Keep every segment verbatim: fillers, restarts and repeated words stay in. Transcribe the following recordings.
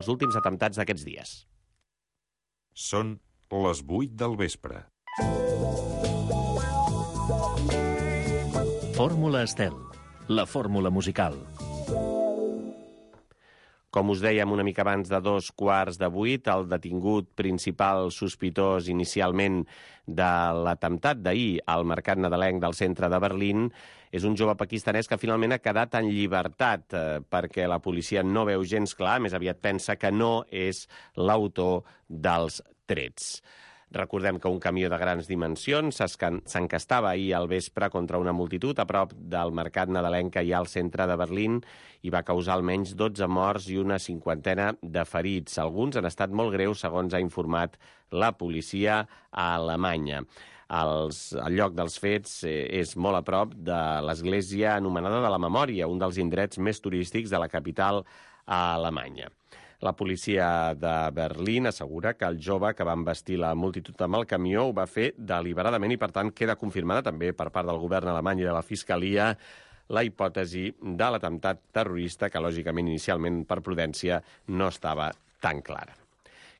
els últims atemptats d'aquests dies. Són les vuit del vespre. Fórmula Estel, la fórmula musical. Com us dèiem una mica abans de dos quarts de vuit, el detingut principal sospitós inicialment de l'atemptat d'ahir al mercat nadalenc del centre de Berlín és un jove pakistanès que finalment ha quedat en llibertat eh, perquè la policia no veu gens clar, més aviat pensa que no és l'autor dels trets. Recordem que un camió de grans dimensions s'encastava ahir al vespre contra una multitud a prop del mercat nadalenc que hi ha al centre de Berlín i va causar almenys dotze morts i una cinquantena de ferits. Alguns han estat molt greus, segons ha informat la policia a Alemanya. Els, el lloc dels fets eh, és molt a prop de l'església anomenada de la Memòria, un dels indrets més turístics de la capital a Alemanya. La policia de Berlín assegura que el jove que va embestir la multitud amb el camió ho va fer deliberadament i, per tant, queda confirmada també per part del govern alemany i de la Fiscalia la hipòtesi de l'atemptat terrorista que, lògicament, inicialment, per prudència, no estava tan clara.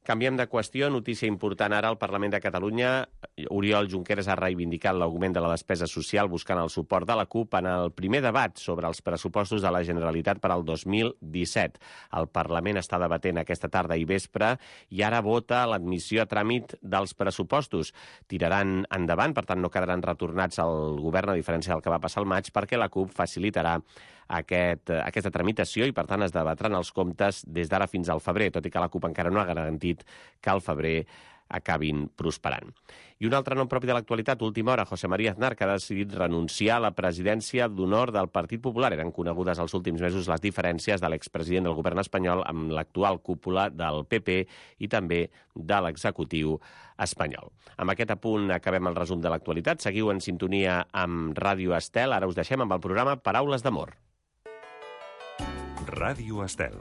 Canviem de qüestió, notícia important ara al Parlament de Catalunya. Oriol Junqueras ha reivindicat l'augment de la despesa social buscant el suport de la CUP en el primer debat sobre els pressupostos de la Generalitat per al dos mil disset. El Parlament està debatent aquesta tarda i vespre i ara vota l'admissió a tràmit dels pressupostos. Tiraran endavant, per tant no quedaran retornats al govern, a diferència del que va passar al maig, perquè la CUP facilitarà aquest, aquesta tramitació i, per tant, es debatran els comptes des d'ara fins al febrer, tot i que la CUP encara no ha garantit que al febrer acabin prosperant. I un altre nom propi de l'actualitat, última hora, José María Aznar, que ha decidit renunciar a la presidència d'honor del Partit Popular. Eren conegudes els últims mesos les diferències de l'expresident del govern espanyol amb l'actual cúpula del P P i també de l'executiu espanyol. Amb aquest apunt acabem el resum de l'actualitat. Seguiu en sintonia amb Ràdio Estel. Ara us deixem amb el programa Paraules d'Amor. Ràdio Estel,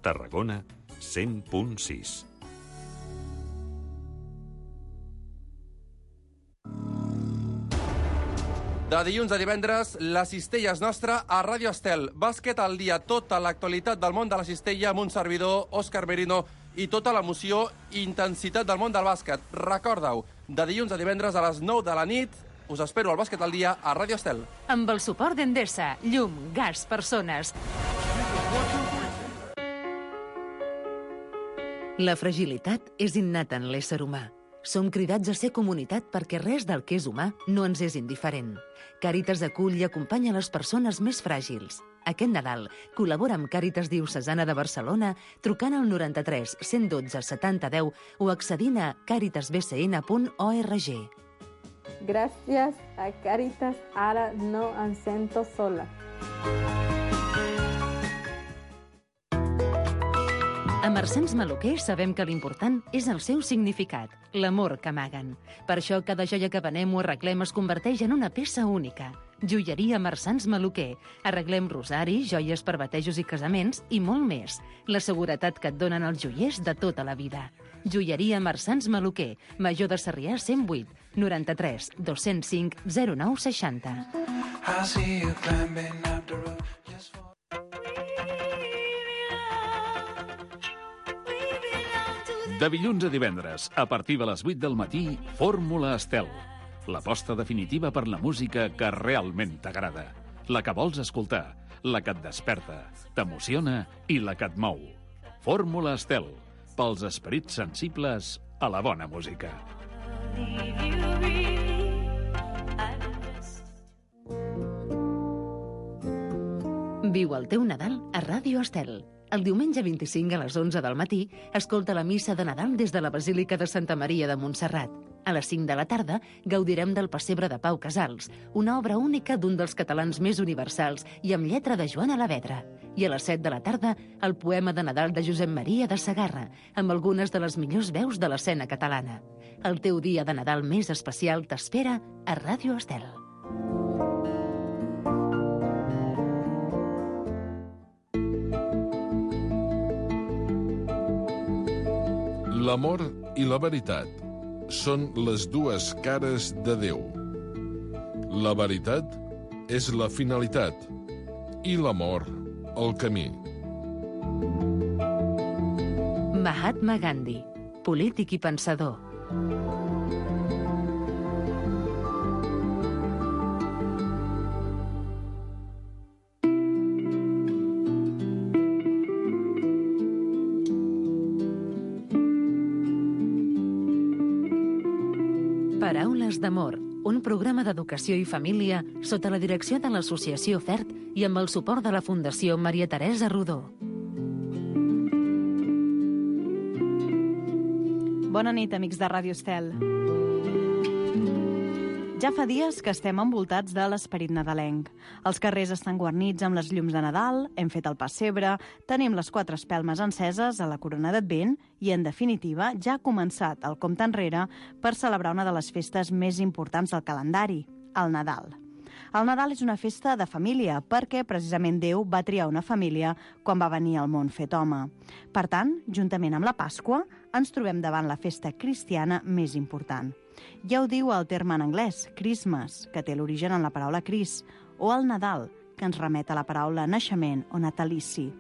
Tarragona, cent punt sis. De dilluns a divendres, la cistella és nostra a Ràdio Estel. Bàsquet al dia, tota l'actualitat del món de la cistella amb un servidor, Òscar Merino, i tota l'emoció i intensitat del món del bàsquet. Recorda-ho, de dilluns a divendres a les nou de la nit, us espero al Bàsquet al dia a Ràdio Estel. Amb el suport d'Endesa, llum, gas, persones. La fragilitat és innata en l'ésser humà. Som cridats a ser comunitat perquè res del que és humà no ens és indiferent. Càritas acull i acompanya les persones més fràgils. Aquest Nadal col·labora amb Càritas Diocesana de Barcelona trucant al noranta-tres cent dotze setanta deu o accedint a càritas b c n punt org. Gràcies a Càritas, ara no em sento sola. A Marsans Maluquer sabem que l'important és el seu significat, l'amor que amaguen. Per això cada joia que venem o arreglem es converteix en una peça única. Joieria Marsans Maluquer. Arreglem rosaris, joies per batejos i casaments i molt més. La seguretat que et donen els joiers de tota la vida. Joieria Marsans Maluquer, Major de Sarrià cent vuit, noranta-tres dos-cents cinc zero nou seixanta. De dilluns a divendres, a partir de les vuit del matí, Fórmula Estel. L'aposta definitiva per la música que realment t'agrada. La que vols escoltar, la que et desperta, t'emociona i la que et mou. Fórmula Estel, pels esperits sensibles a la bona música. Viu el teu Nadal a Ràdio Estel. El diumenge vint-i-cinc a les onze del matí escolta la missa de Nadal des de la Basílica de Santa Maria de Montserrat. A les cinc de la tarda gaudirem del Pessebre de Pau Casals, una obra única d'un dels catalans més universals i amb lletra de Joan Alavedra. I a les set de la tarda, el poema de Nadal de Josep Maria de Sagarra, amb algunes de les millors veus de l'escena catalana. El teu dia de Nadal més especial t'espera a Ràdio Estel. L'amor i la veritat són les dues cares de Déu. La veritat és la finalitat i l'amor el camí. Mahatma Gandhi, polític i pensador. Paraules d'amor, un programa d'educació i família sota la direcció de l'Associació FERT i amb el suport de la Fundació Maria Teresa Rodó. Bona nit, amics de Ràdio Estel. Ja fa dies que estem envoltats de l'esperit nadalenc. Els carrers estan guarnits amb les llums de Nadal, hem fet el pessebre, tenim les quatre espelmes enceses a la corona d'Advent i, en definitiva, ja ha començat el compte enrere per celebrar una de les festes més importants del calendari, el Nadal. El Nadal és una festa de família perquè, precisament, Déu va triar una família quan va venir al món fet home. Per tant, juntament amb la Pasqua, ens trobem davant la festa cristiana més important. Ja ho diu el terme en anglès, Christmas, que té l'origen en la paraula Cris, o el Nadal, que ens remet a la paraula naixement o natalici.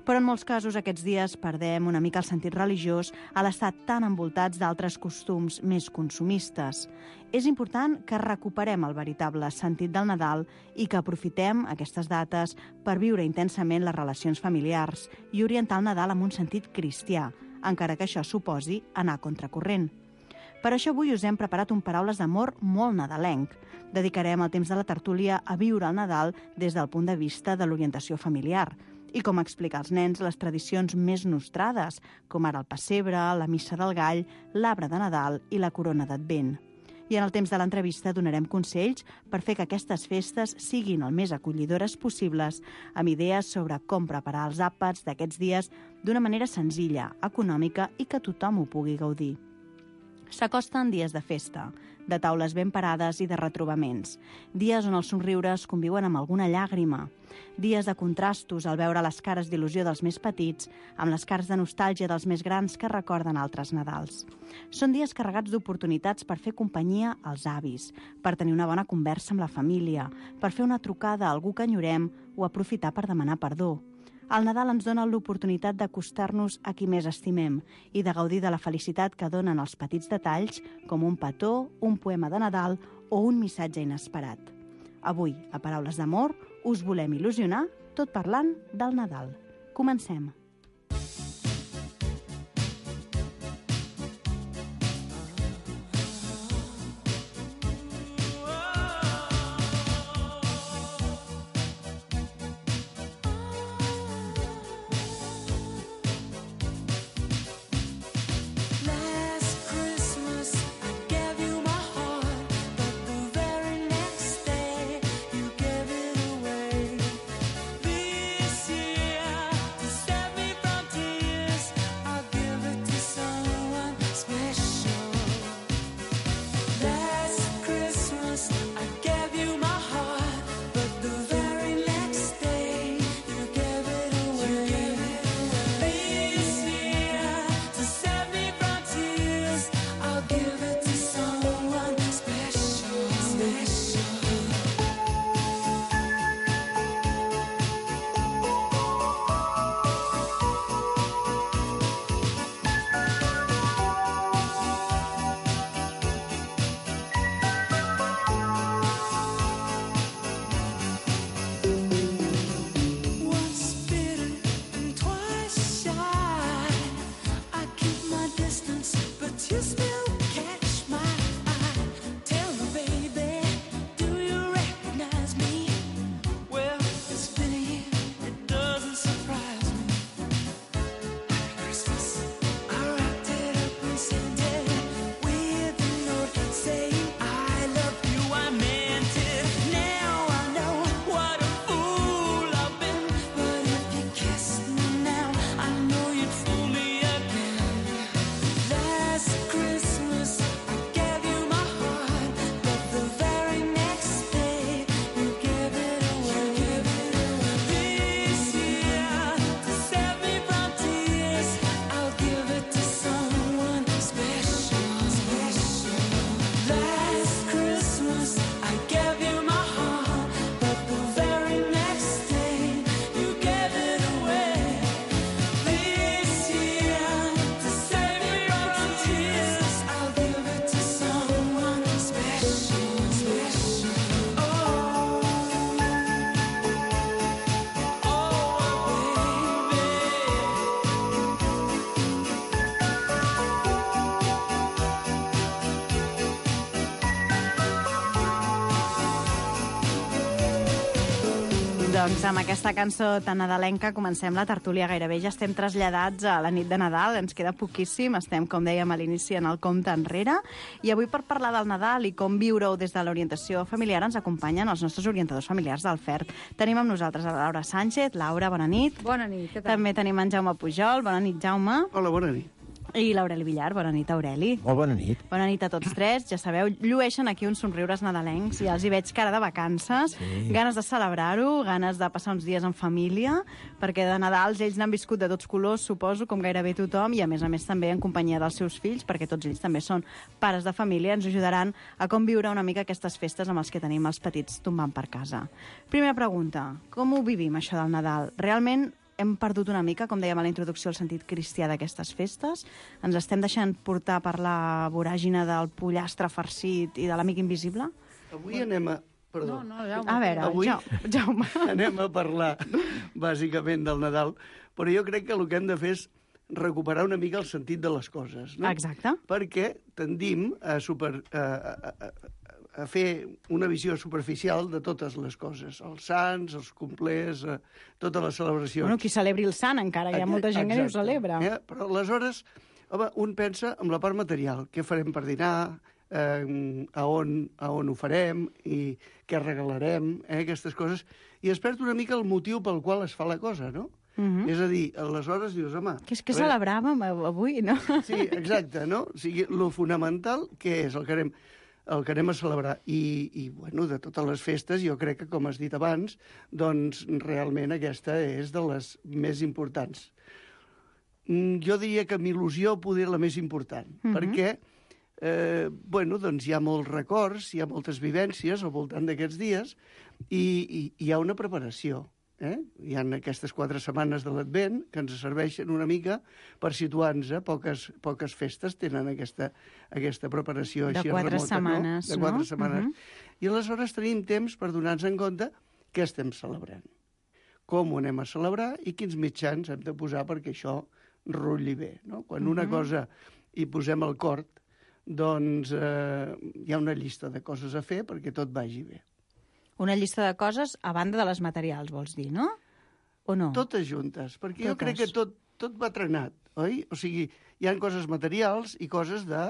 Però en molts casos aquests dies perdem una mica el sentit religiós a l'estar tan envoltats d'altres costums més consumistes. És important que recuperem el veritable sentit del Nadal i que aprofitem aquestes dates per viure intensament les relacions familiars i orientar el Nadal amb un sentit cristià, encara que això suposi anar contracorrent. Per això avui us hem preparat un Paraules d'amor molt nadalenc. Dedicarem el temps de la tertúlia a viure el Nadal des del punt de vista de l'orientació familiar i com explicar als nens les tradicions més nostrades, com ara el pessebre, la missa del gall, l'arbre de Nadal i la corona d'Advent. I en el temps de l'entrevista donarem consells per fer que aquestes festes siguin el més acollidores possibles, amb idees sobre com preparar els àpats d'aquests dies d'una manera senzilla, econòmica i que tothom ho pugui gaudir. S'acosten dies de festa, de taules ben parades i de retrobaments. Dies on els somriures conviuen amb alguna llàgrima. Dies de contrastos al veure les cares d'il·lusió dels més petits amb les cares de nostàlgia dels més grans que recorden altres Nadals. Són dies carregats d'oportunitats per fer companyia als avis, per tenir una bona conversa amb la família, per fer una trucada a algú que enyorem o aprofitar per demanar perdó. El Nadal ens dona l'oportunitat d'acostar-nos a qui més estimem i de gaudir de la felicitat que donen els petits detalls com un petó, un poema de Nadal o un missatge inesperat. Avui, a Paraules d'amor, us volem il·lusionar tot parlant del Nadal. Comencem. This year to step Doncs amb aquesta cançó tan nadalenca comencem la tertúlia. Gairebé ja estem traslladats a la nit de Nadal, ens queda poquíssim, estem, com dèiem a l'inici, en el compte enrere. I avui, per parlar del Nadal i com viure-ho des de l'orientació familiar, ens acompanyen els nostres orientadors familiars del F E R T. Tenim amb nosaltres a la Laura Sánchez. Laura, bona nit. Bona nit, què tal? També tenim en Jaume Pujol. Bona nit, Jaume. Hola, bona nit. I l'Aureli Villar. Bona nit, Aureli. Molt bona nit. Bona nit a tots tres. Ja sabeu, llueixen aquí uns somriures nadalencs i els hi veig cara de vacances, sí. Ganes de celebrar-ho, ganes de passar uns dies en família, perquè de Nadals ells n'han viscut de tots colors, suposo, com gairebé tothom, i a més a més també en companyia dels seus fills, perquè tots ells també són pares de família, ens ajudaran a com viure una mica aquestes festes amb els que tenim els petits tombant per casa. Primera pregunta, com ho vivim, això del Nadal? Realment hem perdut una mica, com dèiem a la introducció, el sentit cristià d'aquestes festes? Ens estem deixant portar per la voràgina del pollastre farcit i de l'amic invisible? Avui anem a... Perdó. No, no, Jaume. A veure, Avui Jaume. anem a parlar, bàsicament, del Nadal, però jo crec que el que hem de fer és recuperar una mica el sentit de les coses, no? Exacte. Perquè tendim a, super, a, a, a, a fer una visió superficial de totes les coses, els sants, els complers, eh, totes les celebracions. Bueno, qui celebri el sant, encara, hi ha molta gent que no ho celebra. Eh? Però aleshores, home, un pensa en la part material, què farem per dinar, eh, a, on, a on ho farem, i què regalarem, eh, aquestes coses, i es perd una mica el motiu pel qual es fa la cosa, no? Uh-huh. És a dir, aleshores dius, home... Que és que celebràvem avui, no? Sí, exacte, no? O sigui, lo fonamental, què és el que anem, el que anem a celebrar? I, i, bueno, de totes les festes, jo crec que, com has dit abans, doncs realment aquesta és de les més importants. Jo diria que m'il·lusió poder la més important, uh-huh. perquè, eh, bueno, doncs hi ha molts records, hi ha moltes vivències al voltant d'aquests dies, i, i hi ha una preparació. Eh? Hi ha aquestes quatre setmanes de l'Advent que ens serveixen una mica per situar-nos. Poques, poques festes tenen aquesta, aquesta preparació de així quatre remota, setmanes, no? De quatre no? setmanes. Uh-huh. I aleshores tenim temps per donar-nos en compte què estem celebrant, com ho anem a celebrar i quins mitjans hem de posar perquè això rutlli bé. No? Quan una uh-huh. cosa hi posem al cor, doncs eh, hi ha una llista de coses a fer perquè tot vagi bé. Una llista de coses a banda de les materials, vols dir, no? O no? Totes juntes, perquè Totes. jo crec que tot, tot va trenat, oi? O sigui, hi ha coses materials i coses de...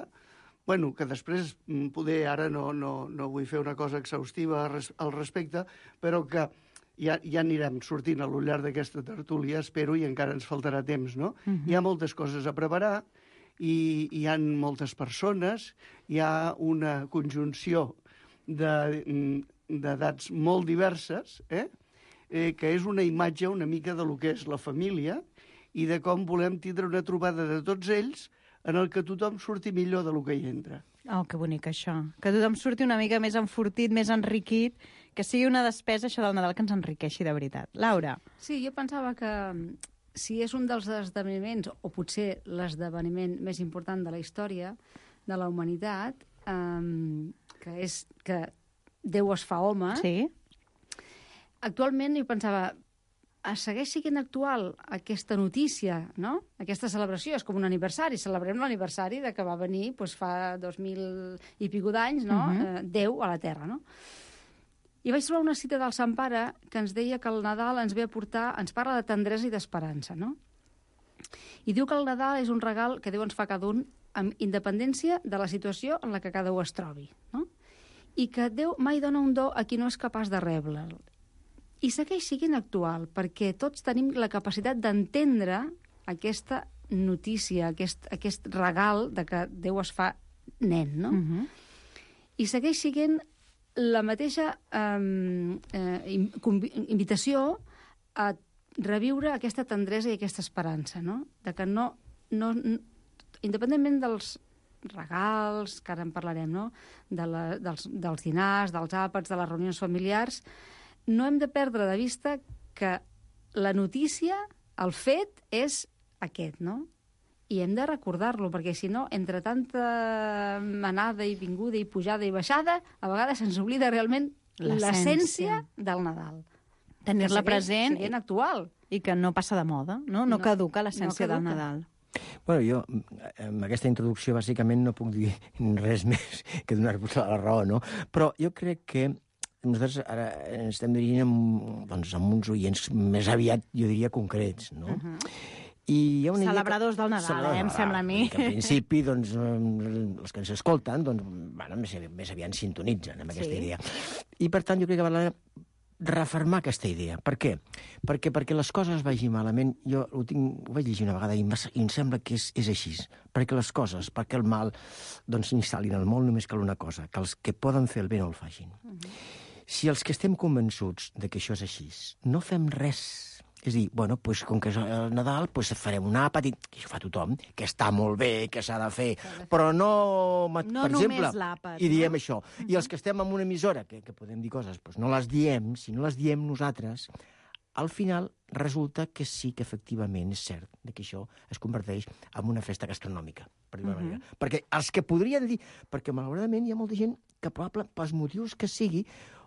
Bueno, que després, poder, ara no, no, no vull fer una cosa exhaustiva al respecte, però que ja, ja anirem sortint a lo llarg d'aquesta tertúlia, espero, i encara ens faltarà temps, no? Uh-huh. Hi ha moltes coses a preparar, i hi ha moltes persones, hi ha una conjunció de... d'edats molt diverses, eh? Eh, que és una imatge una mica de lo que és la família i de com volem tindre una trobada de tots ells en el que tothom surti millor de lo que hi entra. Oh, que bonic, això. Que tothom surti una mica més enfortit, més enriquit, que sigui una despesa, això del Nadal, que ens enriqueixi de veritat. Laura. Sí, jo pensava que si és un dels esdeveniments, o potser l'esdeveniment més important de la història de la humanitat, eh, que és que Déu es fa home. Sí. Actualment jo pensava, segueix sent actual aquesta notícia, no? Aquesta celebració, és com un aniversari, celebrem l'aniversari de que va venir doncs, fa dos mil i pico d'anys, no? Uh-huh. eh, Déu a la Terra, no? I vaig trobar una cita del Sant Pare que ens deia que el Nadal ens ve a portar, ens parla de tendresa i d'esperança, no? I diu que el Nadal és un regal que Déu ens fa cada un amb independència de la situació en la que cada un es trobi, no? I que Déu mai dona un do a qui no és capaç de reble'l. I segueix sent actual, perquè tots tenim la capacitat d'entendre aquesta notícia, aquest, aquest regal de que Déu es fa nen, no? Uh-huh. I segueix sent la mateixa eh, eh, invitació a reviure aquesta tendresa i aquesta esperança, no? De que no, no, independentment dels regals, que ara en parlarem, no? De la, dels, dels dinars, dels àpats, de les reunions familiars, no hem de perdre de vista que la notícia, el fet, és aquest, no? I hem de recordar-lo, perquè si no, entre tanta anada i vinguda i pujada i baixada, a vegades se'ns oblida realment l'essència del Nadal. Tenir-la present i actual. I que no passa de moda, no? No, no caduca l'essència no del Nadal. Bueno, jo, amb aquesta introducció, bàsicament no puc dir res més que donar-vos la raó, no? Però jo crec que nosaltres ara ens estem dirigint amb, doncs, amb uns oients més aviat, jo diria, concrets, no? Uh -huh. I hi ha una Celebradors del Nadal, Celebrador, eh, em sembla a mi. Que en principi, doncs, els que ens escolten, doncs, bueno, més, més aviat sintonitzen amb aquesta sí. idea. I, per tant, jo crec que val la pena refermar aquesta idea. Per què? Perquè perquè les coses vagin malament, jo ho, tinc, ho vaig llegir una vegada i, i em sembla que és, és així. Perquè les coses, perquè el mal doncs s'instal·lin al món, només cal una cosa, que els que poden fer el bé no el facin. Uh -huh. Si els que estem convençuts de que això és així, no fem res, és a dir, bueno, pues, com que és el Nadal, pues farem un àpat, i això fa tothom, que està molt bé, que s'ha de fer, però no, no per exemple, l'àpat, i diem no? això. Uh-huh. I els que estem en una emissora, que, que podem dir coses, pues no les diem, si no les diem nosaltres, al final resulta que sí que efectivament és cert que això es converteix en una festa gastronòmica, per dir-ho uh-huh. manera. Perquè els que podrien dir... Perquè, malauradament, hi ha molta gent que, probablement, pels motius que sigui,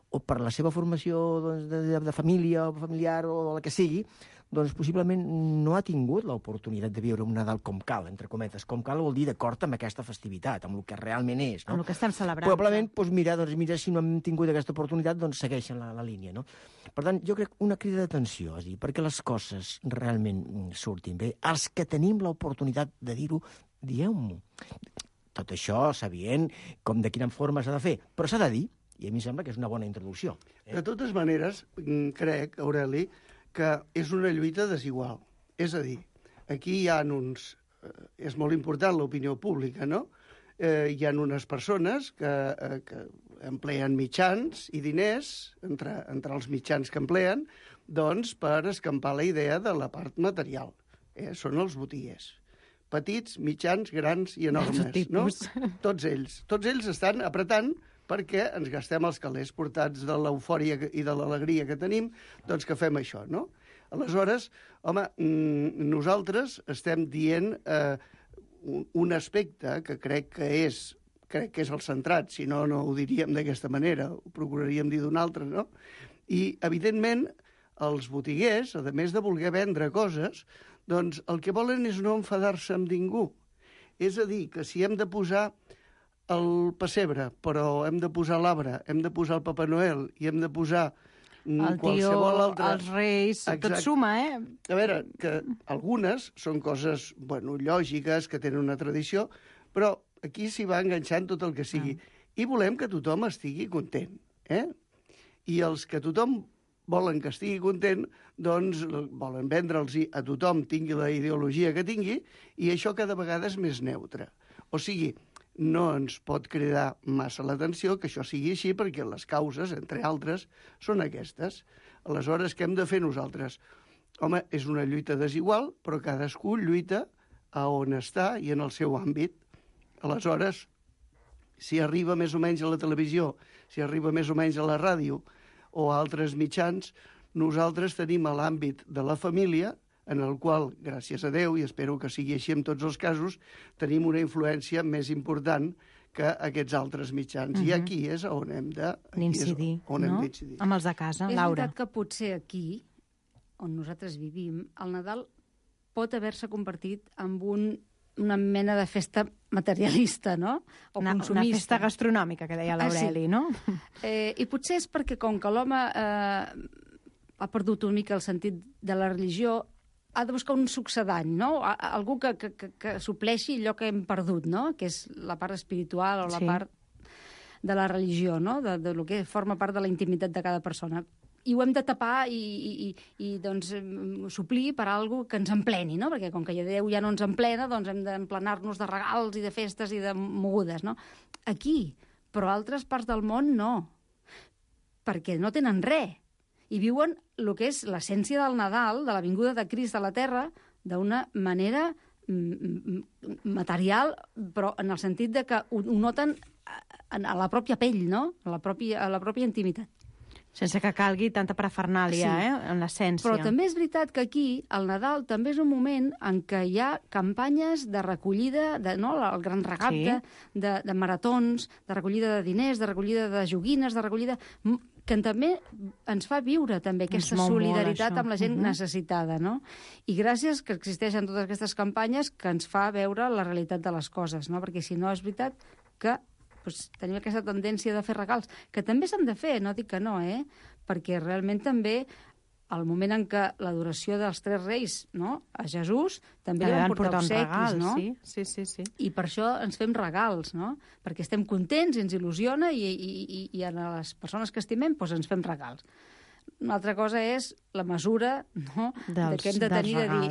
o per la seva formació doncs, de, de, de família o familiar o la que sigui, doncs possiblement no ha tingut l'oportunitat de viure un Nadal com cal, entre cometes. Com cal vol dir d'acord amb aquesta festivitat, amb el que realment és. No? Amb el que estem celebrant. Probablement, doncs, mira, doncs, mira, si no hem tingut aquesta oportunitat, doncs segueixen la, la línia. No? Per tant, jo crec una crida d'atenció, és dir, perquè les coses realment surtin bé. Els que tenim l'oportunitat de dir-ho, dieu-m'ho. Tot això sabent com de quina forma s'ha de fer, però s'ha de dir. I a mi sembla que és una bona introducció. Eh? De totes maneres, crec, Aureli, que és una lluita desigual. És a dir, aquí hi ha uns... És molt important l'opinió pública, no? Eh, hi ha unes persones que, eh, que empleen mitjans i diners, entre, entre els mitjans que empleen, doncs per escampar la idea de la part material. Eh? Són els botiguers. Petits, mitjans, grans i enormes, no? Tots ells. Tots ells estan apretant perquè ens gastem els calés portats de l'eufòria i de l'alegria que tenim, doncs que fem això, no? Aleshores, home, nosaltres estem dient eh, un aspecte que crec que és crec que és el centrat, si no, no ho diríem d'aquesta manera, ho procuraríem dir d'una altra, no? I, evidentment, els botiguers, a més de voler vendre coses, doncs el que volen és no enfadar-se amb ningú. És a dir, que si hem de posar el pessebre, però hem de posar l'arbre, hem de posar el Papa Noel i hem de posar el qualsevol tio, altre... els reis, Exacte. Tot suma, eh? A veure, que algunes són coses, bueno, lògiques, que tenen una tradició, però aquí s'hi va enganxant tot el que sigui. Ah. I volem que tothom estigui content, eh? I els que tothom volen que estigui content, doncs volen vendre'ls a tothom, tingui la ideologia que tingui, i això cada vegada és més neutre. O sigui, no ens pot cridar massa l'atenció que això sigui així, perquè les causes, entre altres, són aquestes. Aleshores, què hem de fer nosaltres? Home, és una lluita desigual, però cadascú lluita a on està i en el seu àmbit. Aleshores, si arriba més o menys a la televisió, si arriba més o menys a la ràdio o a altres mitjans, nosaltres tenim a l'àmbit de la família, en el qual, gràcies a Déu, i espero que sigui així en tots els casos, tenim una influència més important que aquests altres mitjans. Uh-huh. I aquí és on hem de... D'incidir, no? Amb els de casa, és Laura. És veritat que potser aquí, on nosaltres vivim, el Nadal pot haver-se convertit en un, una mena de festa materialista, no? O una, consumista. Una festa gastronòmica, que deia l'Aureli, ah, sí. no? Eh, I potser és perquè, com que l'home eh, ha perdut una mica el sentit de la religió, ha de buscar un succedany, no? Algú que, que, que, que supleixi allò que hem perdut, no? Que és la part espiritual o la sí. part de la religió, no? De, de lo que forma part de la intimitat de cada persona. I ho hem de tapar i, i, i doncs, suplir per algo que ens empleni, no? Perquè com que Déu ja no ens emplena, doncs hem d'emplenar-nos de regals i de festes i de mogudes, no? Aquí, però a altres parts del món no, perquè no tenen res. I viuen el que és l'essència del Nadal, de la vinguda de Crist a la Terra, d'una manera material, però en el sentit de que ho, ho noten a la pròpia pell, no? A la pròpia, a la pròpia intimitat. Sense que calgui tanta parafernàlia, sí. eh? En l'essència. Però també és veritat que aquí, el Nadal, també és un moment en què hi ha campanyes de recollida, de, no? El gran regat sí. de, de maratons, de recollida de diners, de recollida de joguines, de recollida... que també ens fa viure també aquesta solidaritat amb la gent uh-huh. necessitada, no? I gràcies que existeixen totes aquestes campanyes que ens fa veure la realitat de les coses, no? Perquè si no és veritat que doncs, tenim aquesta tendència de fer regals, que també s'han de fer, no dic que no, eh? Perquè realment també al moment en què l'adoració dels tres reis, no?, a Jesús, també li van portar obsequis, regal, no? Sí, sí, sí, sí. I per això ens fem regals, no? Perquè estem contents, ens il·lusiona i, i, i, i a les persones que estimem doncs ens fem regals. Una altra cosa és la mesura, no?, dels, que hem de tenir de dir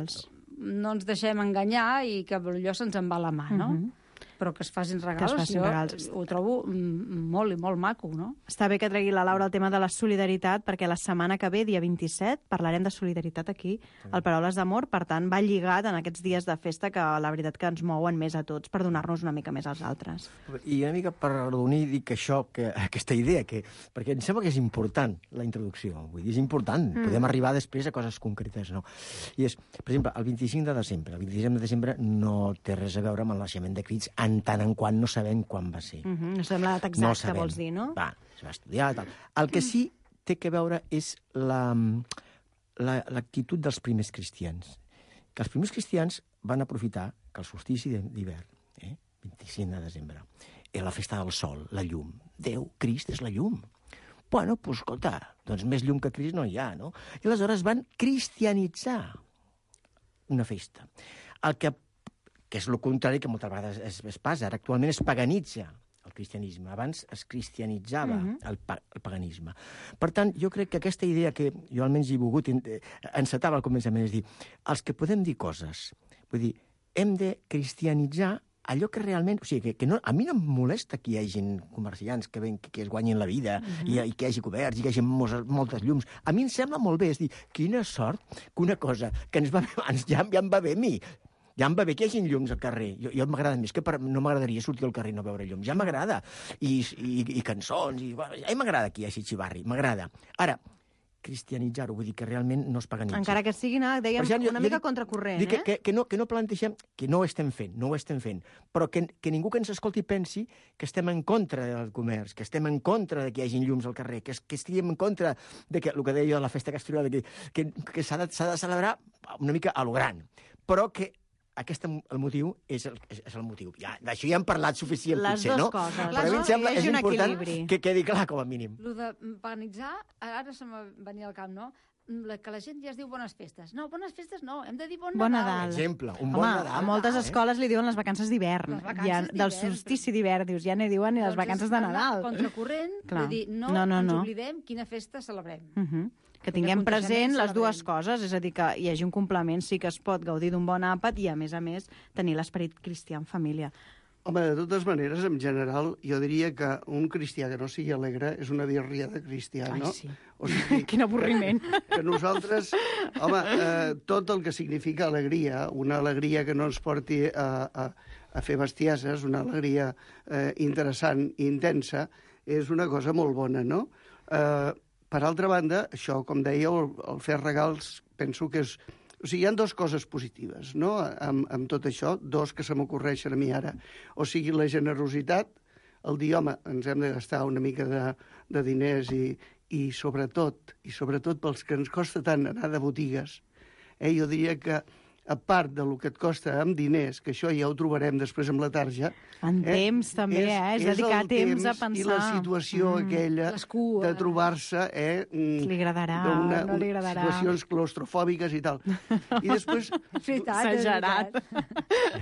no ens deixem enganyar i que allò se'ns en va la mà, no? Uh-huh. Però que es facin regals, es facin jo regals. ho trobo molt i molt maco, no? Està bé que tregui la Laura el tema de la solidaritat, perquè la setmana que ve, dia vint-i-set, parlarem de solidaritat aquí, al Paraules d'Amor, per tant, va lligat en aquests dies de festa que la veritat que ens mouen més a tots per donar-nos una mica més als altres. I una mica per arrodonir, dic això, que, aquesta idea, que, perquè em sembla que és important la introducció, vull dir, és important, mm. podem arribar després a coses concretes, no? I és, per exemple, el vint-i-cinc de desembre, el vint-i-cinc de desembre no té res a veure amb el naixement de Crist, en tant en quant no sabem quan va ser. Uh-huh. No sabem la data exacta, no vols dir, no? Va, es va estudiar, tal. El que sí té que veure és la, la, l'actitud dels primers cristians. Que els primers cristians van aprofitar que el solstici d'hivern, eh, vint-i-cinc de desembre, era la festa del sol, la llum. Déu, Crist és la llum. Bueno, doncs, escolta, doncs més llum que Crist no hi ha, no? I aleshores van cristianitzar una festa. El que que és el contrari que moltes vegades es, es passa. Ara actualment es paganitza el cristianisme. Abans es cristianitzava uh-huh. el, pa, el paganisme. Per tant, jo crec que aquesta idea que jo almenys he volgut encetava al començament, és dir, els que podem dir coses, vull dir, hem de cristianitzar allò que realment... O sigui, que, que no, a mi no em molesta que hi hagi comerciants que, ven, que, que es guanyin la vida uh-huh. i, i que hi hagi coberts i que hi hagi moltes, moltes llums. A mi em sembla molt bé, és dir, quina sort que una cosa que ens va bé abans ja, ja em va bé a mi. Ja em va bé que hi hagi llums al carrer. Jo, jo m'agrada més, que per, no m'agradaria sortir al carrer i no veure llums. Ja m'agrada. I, i, i cançons. I, bueno, ja m'agrada que hi hagi xivarri. M'agrada. Ara, cristianitzar-ho, vull dir que realment no es paganitza. Encara que sigui, no, dèiem, exemple, jo, una jo mica dic, contracorrent, dic eh? Que, que, no, que no plantegem, que no ho estem fent, no ho estem fent, però que, que ningú que ens escolti pensi que estem en contra del comerç, que estem en contra de que hi hagi llums al carrer, que, que estiguem en contra de que, el que deia jo de la festa castellana, que, que, que s'ha de, s'ha de celebrar una mica a lo gran, però que aquest, el motiu és el, és, és el motiu. Ja, d'això ja hem parlat suficient, les potser, no? Coses. Però a mi em sembla és important equilibri. Que quedi clar, com a mínim. Lo de paganitzar, ara se m'ha venia al cap, no? La, que la gent ja es diu bones festes. No, bones festes no, hem de dir bon, bon Nadal. Nadal. Exemple, un bon Home, Nadal. A moltes eh? escoles li diuen les vacances d'hivern. Ja, del solstici d'hivern, dius, ja n'hi diuen i les doncs vacances de Nadal. Contracorrent, Clar. de dir, no, no, no, ens no. oblidem quina festa celebrem. Uh -huh. Que tinguem present les dues coses, és a dir, que hi hagi un complement, sí que es pot gaudir d'un bon àpat i, a més a més, tenir l'esperit cristià en família. Home, de totes maneres, en general, jo diria que un cristià que no sigui alegre és una birria de cristià, no? Ai, sí. O sigui, Quin avorriment. Que nosaltres, home, eh, tot el que significa alegria, una alegria que no ens porti a, a, a fer bestieses, una alegria eh, interessant i intensa, és una cosa molt bona, no? Eh, per altra banda, això, com deia, el, el fer regals, penso que és... O sigui, hi ha dues coses positives, no?, amb, amb tot això, dos que se m'ocorreixen a mi ara. O sigui, la generositat, el dir, home, ens hem de gastar una mica de, de diners i, i sobretot, i sobretot pels que ens costa tant anar de botigues, eh, jo diria que a part del que et costa amb diners, que això ja ho trobarem després amb la tarja... En eh, temps, també, és, eh? És, és dedicar temps, temps a pensar. I la situació mm, aquella de trobar-se... Eh, li agradarà, una, no li agradarà. Situacions claustrofòbiques i tal. I després... Exagerat.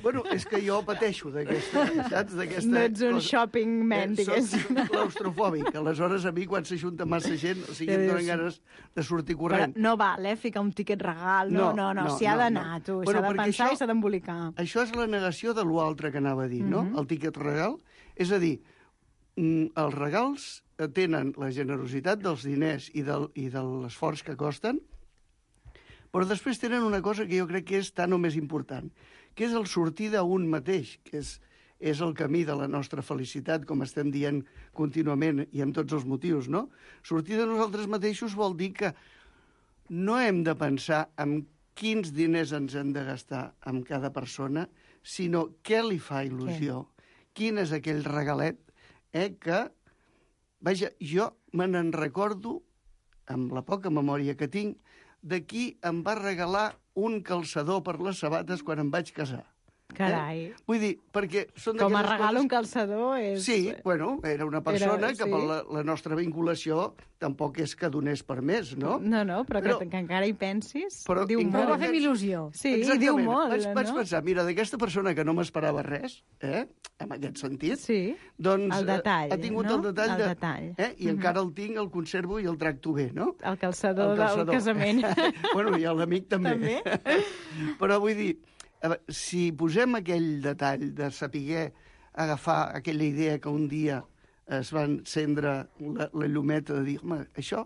Bueno, és que jo pateixo d'aquesta... Saps? D'aquesta no ets un cosa. shopping man, eh, diguéssim. Soc claustrofòbic. Aleshores, a mi, quan s'ajunta massa gent, o sigui, em donen ganes de sortir corrent. Però no val, eh, ficar un tiquet regal. No, no, no, no s'hi ha d'anar, no. tu. S'ha bueno, de pensar això, i s'ha d'embolicar. Això és la negació de l'altre que anava a dir, no? Mm-hmm. El tiquet regal. És a dir, els regals tenen la generositat dels diners i, del, i de l'esforç que costen, però després tenen una cosa que jo crec que és tan o més important, que és el sortir d'un mateix, que és, és el camí de la nostra felicitat, com estem dient contínuament i amb tots els motius, no? Sortir de nosaltres mateixos vol dir que no hem de pensar en quins diners ens hem de gastar amb cada persona, sinó què li fa il·lusió. Sí. Quin és aquell regalet eh, que, vaja, jo me n'en recordo, amb la poca memòria que tinc, de qui em va regalar un calçador per les sabates quan em vaig casar. Carai. Eh? Vull dir, perquè són Com a d'aquelles regal coses... un calçador és... Sí, bueno, era una persona Era- que per sí. la, la nostra vinculació tampoc és que donés per més, no? No, no, però, Però- que, que encara hi pensis, Però diu encara molt. Va fer il·lusió. Sí, i Exactament. diu molt, vaig, vaig no? pensar, mira, d'aquesta persona que no m'esperava res, eh, en aquest sentit, Sí, doncs el detall, ha tingut no? el detall El de... detall. Eh, I Mhm. encara el tinc, el conservo i el tracto bé, no? El calçador, El del casament. bueno, i l'amic també. També? Però vull dir, a veure, si posem aquell detall de saber agafar aquella idea que un dia es va encendre la, la llumeta de dir, home, això,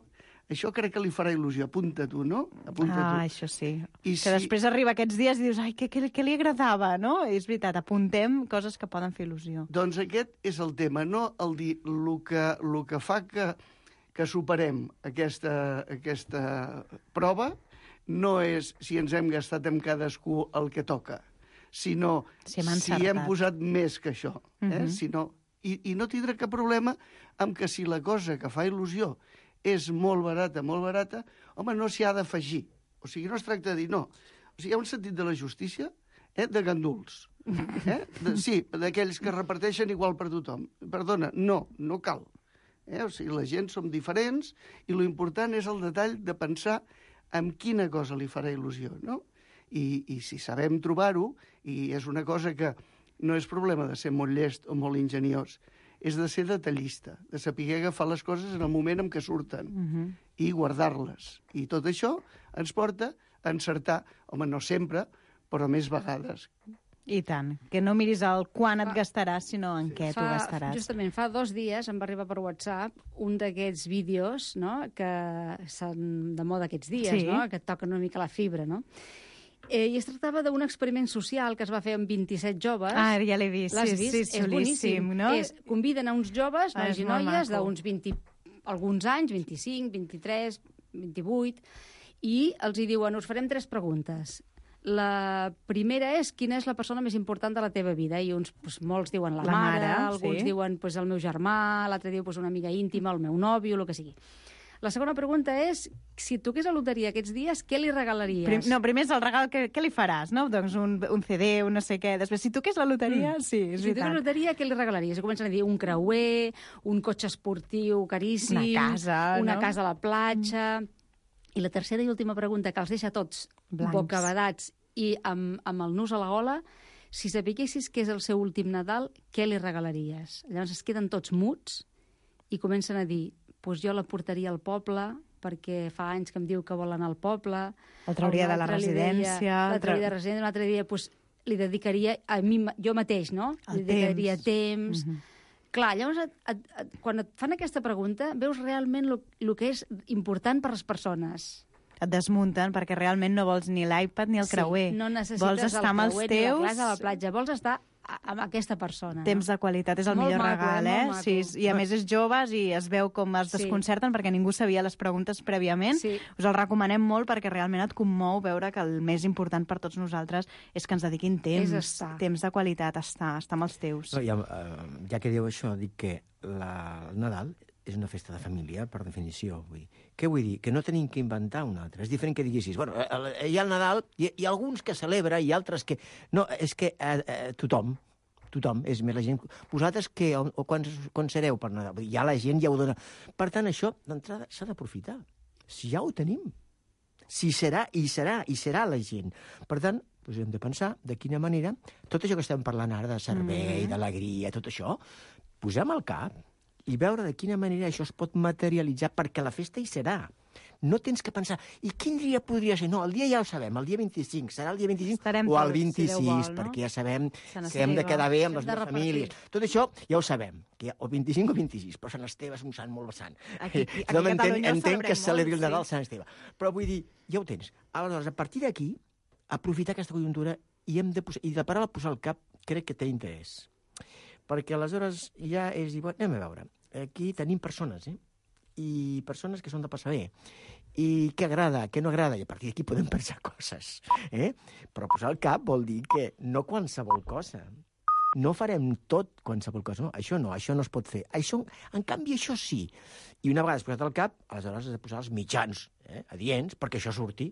això crec que li farà il·lusió, apunta tu, no? Apunta Ah, tu. això sí. I que si- després arriba aquests dies i dius, ai, què, què, què li agradava, no? I és veritat, apuntem coses que poden fer il·lusió. Doncs aquest és el tema, no el dir el que, el que fa que, que superem aquesta, aquesta prova no és si ens hem gastat amb cadascú el que toca, sinó Si hem si hem encertat. posat més que això. Eh? Mhm. si no, i, I no tindrà cap problema amb que si la cosa que fa il·lusió és molt barata, molt barata, home, no s'hi ha d'afegir. O sigui, no es tracta de dir, no. O sigui, hi ha un sentit de la justícia eh, de ganduls. Eh? De, sí, d'aquells que reparteixen igual per tothom. Perdona, no, no cal. Eh? O sigui, la gent som diferents i lo important és el detall de pensar en quina cosa li farà il·lusió, no? I, i si sabem trobar-ho, i és una cosa que no és problema de ser molt llest o molt ingeniós, és de ser detallista, de saber agafar les coses en el moment en què surten Mhm. i guardar-les. I tot això ens porta a encertar, home, no sempre, però més vegades. I tant, que no miris el quan et gastaràs, sinó en què t'ho gastaràs. Justament fa dos dies em va arribar per WhatsApp un d'aquests vídeos, no?, que són de moda aquests dies, Sí. no?, que et toquen una mica la fibra, no? Eh, I es tractava d'un experiment social que es va fer amb vint-i-set joves. Ah, ja l'he vist, L'has sí, vist? sí, És xulíssim, boníssim. no? És, conviden a uns joves, Ah, nois és i molt noies, maco. d'uns vint, alguns anys, vint-i-cinc, vint-i-tres, vint-i-vuit, i els hi diuen, us farem tres preguntes. La primera és quina és la persona més important de la teva vida, i uns, doncs, molts diuen la, La mare, mare, alguns sí. diuen doncs, el meu germà, l'altre diu doncs, una amiga íntima, el meu nòvio, el que sigui. La segona pregunta és, si et toqués la loteria aquests dies, què li regalaries? Prim, no, primer és el regal, que, què li faràs, no? Doncs un, un C D, un no sé què. Després, si toqués la loteria, Mm. sí, és Si toqués la veritat. loteria, què li regalaries? I comencen a dir un creuer, un cotxe esportiu caríssim, Una casa, una no? casa a la platja... I la tercera i última pregunta, que els deixa tots Blancs. bocabadats i amb, amb el nus a la gola, si sapiguessis que és el seu últim Nadal, què li regalaries? Llavors es queden tots muts i comencen a dir, doncs jo la portaria al poble, perquè fa anys que em diu que vol anar al poble. El trauria Un de la altre li deia- residència, La el tra- trauria de la residència, un altre dia doncs, li dedicaria a mi, ma- jo mateix, no? El li dedicaria temps. temps. Mhm. Clar, llavors, et, et, et, quan et fan aquesta pregunta, veus realment el que és important per les persones. Et desmunten perquè realment no vols ni l'iPad ni el creuer. Sí, no necessites vols estar amb el els creuer teus... ni la classe a la platja, vols estar a- amb aquesta persona. Temps no? de qualitat és el Molt millor maco, regal, eh? eh? Molt maco. Sí, I a més és joves i es veu com es Sí. desconcerten perquè ningú sabia les preguntes prèviament. Sí. Us el recomanem molt perquè realment et commou veure que el més important per tots nosaltres és que ens dediquin temps, És estar. temps de qualitat, estar, estar amb els teus. No, ja, eh, ja que diu això, dic que la, el Nadal és una festa de família, per definició. Vull dir. Què vull dir? Que no tenim que inventar una altra. És diferent que diguessis, bueno, eh, hi ha el Nadal, hi, hi ha alguns que celebra i altres que... No, és que eh, eh, tothom, tothom, és més la gent... Vosaltres què, o, o quan, quan sereu per Nadal? Vull dir, ja la gent ja ho dona. Per tant, això, d'entrada, s'ha d'aprofitar. Si ja ho tenim. Si serà, i serà, i serà la gent. Per tant, doncs hem de pensar de quina manera tot això que estem parlant ara de servei, mm. d'alegria, tot això, posem al cap i veure de quina manera això es pot materialitzar, perquè la festa hi serà. No tens que pensar, i quin dia podria ser? No, el dia ja ho sabem, el dia vint-i-cinc, serà el dia vint-i-cinc Estarem o el tots, si vint-i-sis, Déu vol, no? perquè ja sabem Sant que hem de Esteve. quedar bé amb Hem les de dues repartir. famílies. Tot això ja ho sabem, que hi ha o vint-i-cinc o vint-i-sis, però Sant Esteve és un sant molt vessant. Aquí- aquí a Tothom entén, Catalunya ho entén que celebrem es celebri el molt, Nadal sí. a Sant Esteve. Però vull dir, ja ho tens. Aleshores, a partir d'aquí, aprofitar aquesta conjuntura i hem de posar, i de parar a posar al cap, crec que té interès. Perquè aleshores ja és dir, bueno, anem a veure, aquí tenim persones, eh? I persones que són de passar bé. I què agrada, què no agrada, i a partir d'aquí podem pensar coses. Eh? Però posar al cap vol dir que no qualsevol cosa. No farem tot qualsevol cosa. No, això no, això no es pot fer. Això, en canvi, això sí. I una vegada posat al cap, aleshores has de posar els mitjans eh, adients perquè això surti.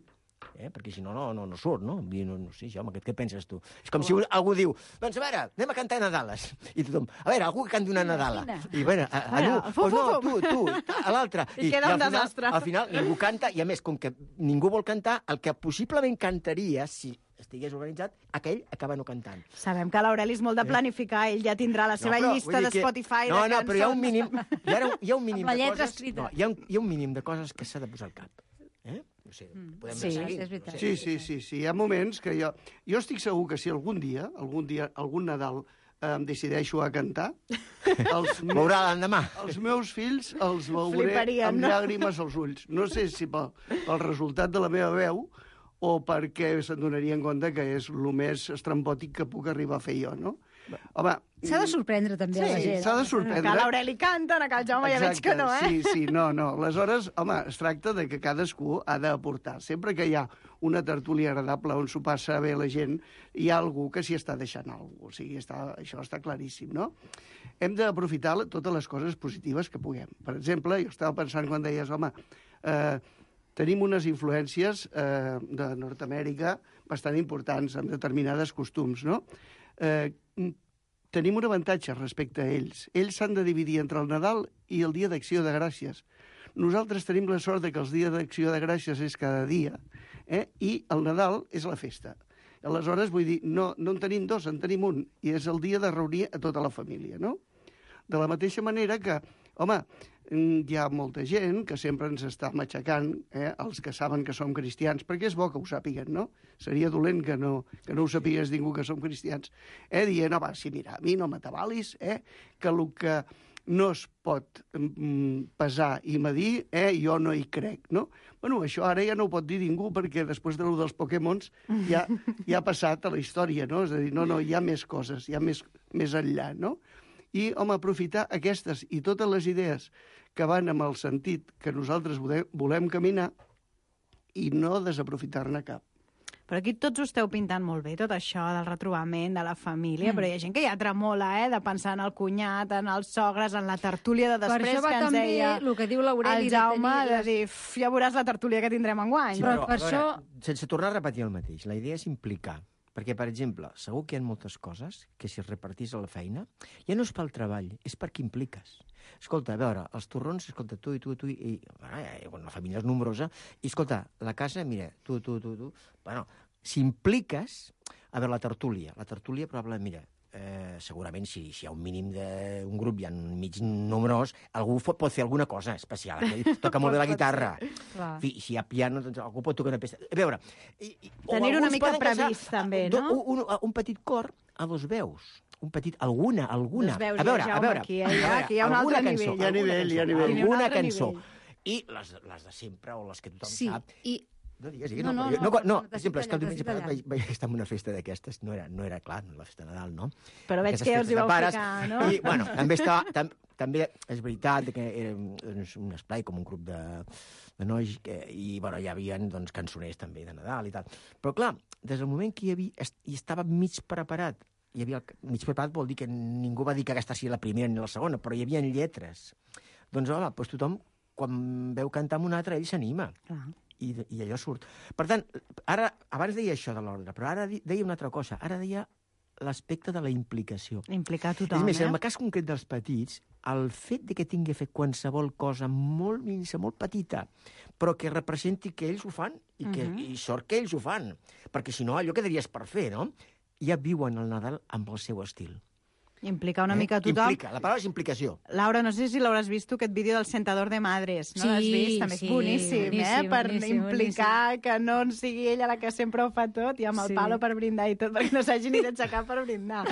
Eh? Perquè si no, no, no, no surt, no? I no, no sé, home, què, què penses tu? És com si un, algú diu, doncs a veure, anem a cantar Nadales. I tothom, a veure, algú que canti una Nadala. I a veure, a, a, a, a, pues no, tu, tu, a l'altre. I, I queda un desastre. Al final, ningú canta, i a més, com que ningú vol cantar, el que possiblement cantaria, si estigués organitzat, aquell acaba no cantant. Sabem que l'Aureli és molt de planificar, ell ja tindrà la seva no, llista de Spotify no, de no, cançons. No, però hi ha un mínim, hi ha, hi ha un mínim de coses... No, hi, ha un, hi ha un mínim de coses que s'ha de posar al cap. Eh? No sé, podem sí, seguir. és veritat. Sí, sí, sí, sí. Hi ha moments que jo... Jo estic segur que si algun dia, algun dia, algun Nadal, eh, em decideixo a cantar, els, Veurà l'endemà. Els meus fills els veuré Fliparien, amb no? llàgrimes als ulls. No sé si pel, pel resultat de la meva veu o perquè se'n donarien compte que és el més estrambòtic que puc arribar a fer jo, no? Home... S'ha de sorprendre també sí, a la gent. s'ha de sorprendre. Que l'Aureli canta, que el Jaume ja veig que no, eh? Sí, sí, no, no. Aleshores, home, es tracta de que cadascú ha d'aportar. Sempre que hi ha una tertúlia agradable on s'ho passa bé la gent, hi ha algú que s'hi està deixant alguna cosa. O sigui, està, això està claríssim, no? Hem d'aprofitar totes les coses positives que puguem. Per exemple, jo estava pensant quan deies, home, eh, tenim unes influències eh, de Nord-Amèrica bastant importants amb determinades costums, no? Eh, tenim un avantatge respecte a ells. Ells s'han de dividir entre el Nadal i el Dia d'Acció de Gràcies. Nosaltres tenim la sort de que el Dia d'Acció de Gràcies és cada dia, eh? I el Nadal és la festa. Aleshores, vull dir, no, no en tenim dos, en tenim un, i és el dia de reunir a tota la família, no? De la mateixa manera que, home, hi ha molta gent que sempre ens està matxacant, eh, els que saben que som cristians, perquè és bo que ho sàpiguen, no? Seria dolent que no, que no ho sapigués ningú que som cristians. Eh, dient, no, va, sí, mira, a mi no m'atabalis, eh, que el que no es pot mm, pesar i medir, eh, jo no hi crec, no? Bueno, això ara ja no ho pot dir ningú, perquè després de lo dels Pokémons ja, ja ha passat a la història, no? És a dir, no, no, hi ha més coses, hi ha més, més enllà, no? I, home, aprofitar aquestes i totes les idees que van amb el sentit que nosaltres volem caminar i no desaprofitar-ne cap. Però aquí tots ho esteu pintant molt bé, tot això del retrobament, de la família, mm. però hi ha gent que ja tremola, eh?, de pensar en el cunyat, en els sogres, en la tertúlia de després per això va que ens també deia el que diu l'Aureli el Jaume, de, de dir, ja veuràs la tertúlia que tindrem enguany. Sí, però, però per veure, això... sense tornar a repetir el mateix, la idea és implicar. Perquè, per exemple, segur que hi ha moltes coses que si es repartís a la feina, ja no és pel treball, és perquè impliques. Escolta, a veure, els torrons, escolta, tu i tu i tu, i, i bueno, la família és nombrosa, i escolta, la casa, mira, tu, tu, tu, tu... Bueno, si impliques... A veure, la tertúlia. La tertúlia, probablement, mira, eh, segurament, si, si hi ha un mínim d'un grup, hi ha un mig nombrós, algú pot fer alguna cosa especial. Toca molt bé la guitarra. Fi, si hi ha piano, doncs algú pot tocar una peça. A veure... Tenir una mica previst, també, no? Un, un, un petit cor a dos veus. Un petit... Alguna, alguna. Dos veus, a veure, ja, a veure. Aquí, ja, ja, aquí hi ha un altre cançó, nivell. Hi ha nivell, hi ha nivell. Alguna cançó. I les, les de sempre, o les que tothom sí, sap... i... No digues, digues. No, No, no, no, no, no, no per exemple, és que el diumenge allà. vaig, vaig estar en una festa d'aquestes, no era, no era clar, la festa de Nadal, no? Però veig Aquestes que us hi festes de vau pares, ficar, no? I, bueno, també estava... Tam, també és veritat que era un esplai com un grup de, de nois que, i, bueno, hi havia doncs, cançoners també de Nadal i tal. Però, clar, des del moment que hi, havia, hi estava mig preparat, hi havia, mig preparat vol dir que ningú va dir que aquesta sigui la primera ni la segona, però hi havia lletres. Doncs, home, doncs tothom, quan veu cantar amb un altre, ell s'anima. Clar. I, i allò surt. Per tant, ara, abans deia això de l'ordre, però ara deia una altra cosa. Ara deia l'aspecte de la implicació. Implicar tothom, és més, eh? en el cas concret dels petits, el fet de que tingui fet qualsevol cosa molt minsa, molt petita, però que representi que ells ho fan i, que, uh-huh. i sort que ells ho fan, perquè si no allò quedaries per fer, no? Ja viuen el Nadal amb el seu estil. Implicar una eh? mica a tothom. Implica. La paraula és implicació. Laura, no sé si l'hauràs vist, aquest vídeo del Sentador de Madres. No sí, l'has vist? També és sí, boníssim, boníssim, eh? Per boníssim, implicar boníssim. que no sigui ella la que sempre ho fa tot i amb el Sí. palo per brindar i tot, perquè no s'hagi ni d'aixecar per brindar.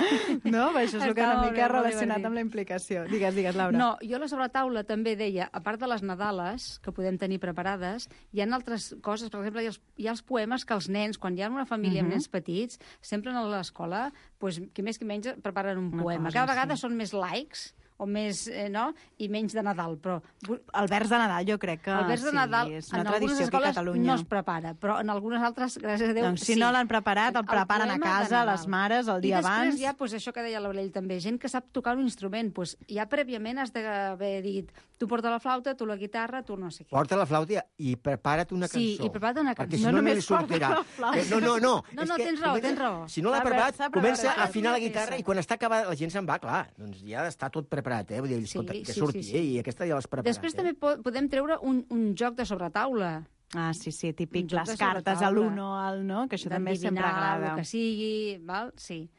No? Això és el que Està una molt mica bé, molt relacionat divertit. amb la implicació. Digues, digues, Laura. No, jo a la sobretaula també deia, a part de les Nadales, que podem tenir preparades, hi ha altres coses, per exemple, hi ha els, hi ha els poemes que els nens, quan hi ha una família Mhm. amb nens petits, sempre a l'escola, pues, qui més qui menys preparen un Una poema. cosa, Cada vegada sí. són més laics, o més, eh, no? I menys de Nadal, però... El vers de Nadal jo crec que el vers de sí, Nadal és una en tradició algunes aquí a escoles Catalunya. no es prepara, però en algunes altres, gràcies a Déu, doncs si sí. no l'han preparat, el El preparen a poema de casa, Nadal. les mares, el dia I després abans. hi ha, doncs, això que deia l'Aureli també, gent que sap tocar un instrument, doncs ja prèviament has d'haver dit tu porta la flauta, tu la guitarra, tu no sé què. Porta la flauta i prepara't una cançó. Sí, i prepara't una Perquè cançó. si No no, no li només porta sortirà. la flauta. Eh, No, no, no. No, És no, que tens raó, comença- tens raó. Si no l'ha S'ha preparat, preparat, comença s'ha a afinar la preparat. guitarra i quan està acabada la gent se'n va, clar, doncs ja està tot preparat, eh? Vull dir, escolta, Sí, que sí, surti, sí, sí. eh? I aquesta ja l'has preparat. Després eh? també po podem treure un, un joc de sobretaula. Ah, sí, sí, típic, Un joc les de cartes a sobretaula. l'uno, al no, que això també sempre D'endevinar agrada. el que sigui, val? Sí.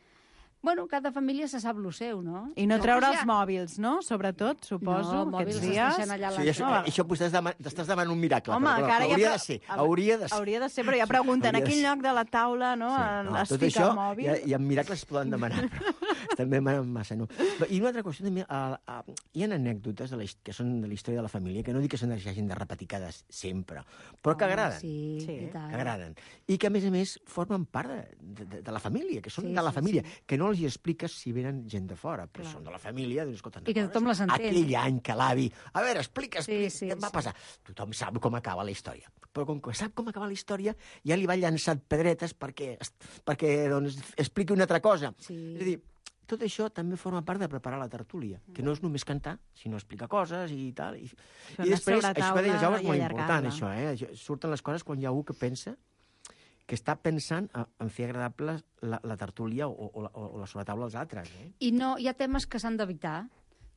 Bueno, cada família se sap lo seu, no? I no Però, treure doncs, els mòbils, no? Sobretot, suposo, No, mòbils aquests es dies. deixen allà a la Sí, això, No. això t'estàs deman t'estàs demanant un miracle. Home, però, que ara ja hauria pre- de ser, hauria de ser. Hauria de ser, però ja pregunten, a Hauria de quin ser. lloc de la taula, no? Sí, en- no, es tot fica això, el mòbil? i, i en miracles es poden demanar, però estem demanant massa, no? I una altra qüestió també, a, a, hi ha anècdotes de la, his- que són de la història de la família, que no dic que són hagin de repetir cada sempre, però que Home, agraden. Sí, Sí, i tant. que agraden. I que, a més a més, formen part de, de, de la família, que són Sí, de la sí, família, sí. que no els hi expliques si venen gent de fora, però són de la família, doncs, escolta, I que tothom les entén. aquell any que l'avi... A veure, explica, explica, Sí, sí, què em va sí. passar? Tothom sap com acaba la història. Però com que sap com acaba la història, ja li va llançar pedretes perquè, perquè doncs, expliqui una altra cosa. Sí. És a dir, tot això també forma part de preparar la tertúlia, que no és només cantar, sinó explicar coses i tal. I, Fer i una després, això que deia Jaume és sobretaula molt i important, allargar-la. això, eh? Això- Surten les coses quan hi ha algú que pensa que està pensant a- en fer agradable la, la tertúlia o, o, la- o la sobretaula als altres. Eh? I no, hi ha temes que s'han d'evitar.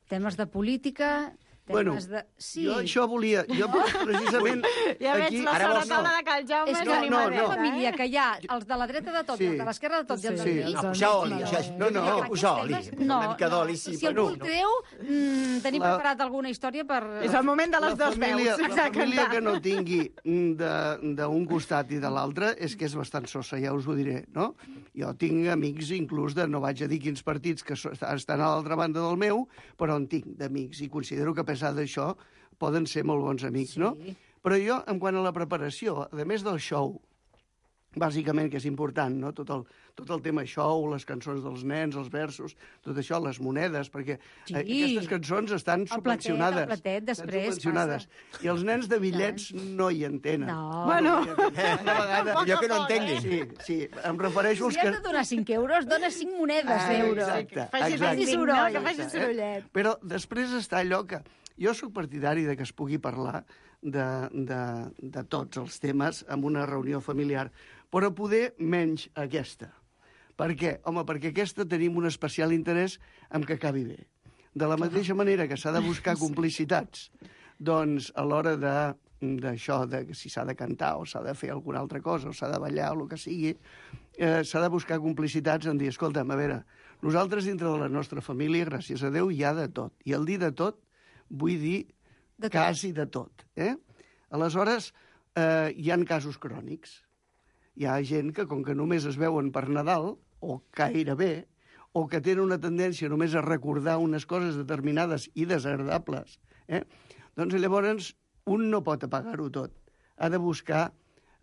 Temes de política, Bueno, temes de... Sí. jo això volia... Jo precisament... Ja veig aquí... la ara vols sobretaula no. de Cal Jaume És és que no, no, no, una no. família que hi ha els de la dreta de tot, Sí. i els de l'esquerra de tot, i els Sí. del mig. No, posar oli, no, això, no, no. jo posar oli, Aquests posar una mica d'oli, sí, si però algú no. el creu, mm, tenim La- preparat alguna història per... És el moment de les la dues família, veus. la família que no tingui de- d'un costat i de l'altre és que és bastant sosa, ja us ho diré, no? Jo tinc amics, inclús de, no vaig a dir quins partits, que so- estan a l'altra banda del meu, però en tinc d'amics, i considero que a pesar d'això poden ser molt bons amics, Sí. no? Però jo, en quant a la preparació, a més del show, bàsicament, que és important, no? Tot el, tot el tema show, les cançons dels nens, els versos, tot això, les monedes, perquè Sí. eh, aquestes cançons estan El platet, subvencionades. el platet, Estan després subvencionades. I els nens de bitllets no hi entenen. No. Bueno. No hi entenen. Una vegada... Jo que no entengui. Sí, sí, em refereixo als Si has que... de donar cinc euros, dona cinc monedes Ah, d'euro. exacte, faci exacte. soroll, Exacte, que faci eh? sorollet. Però després està allò que... Jo sóc partidari de que es pugui parlar de, de, de tots els temes en una reunió familiar, però poder menys aquesta. Per què? Home, perquè aquesta tenim un especial interès en que acabi bé. De la mateixa manera que s'ha de buscar complicitats, doncs a l'hora de d'això, de si s'ha de cantar o s'ha de fer alguna altra cosa, o s'ha de ballar o el que sigui, eh, s'ha de buscar complicitats en dir, escolta'm, a veure, nosaltres dintre de la nostra família, gràcies a Déu, hi ha de tot. I el dir de tot, vull dir De tot. quasi de tot. Eh? Aleshores, eh, hi han casos crònics. Hi ha gent que, com que només es veuen per Nadal, o gairebé, o que tenen una tendència només a recordar unes coses determinades i desagradables, eh? doncs llavors un no pot apagar-ho tot. Ha de buscar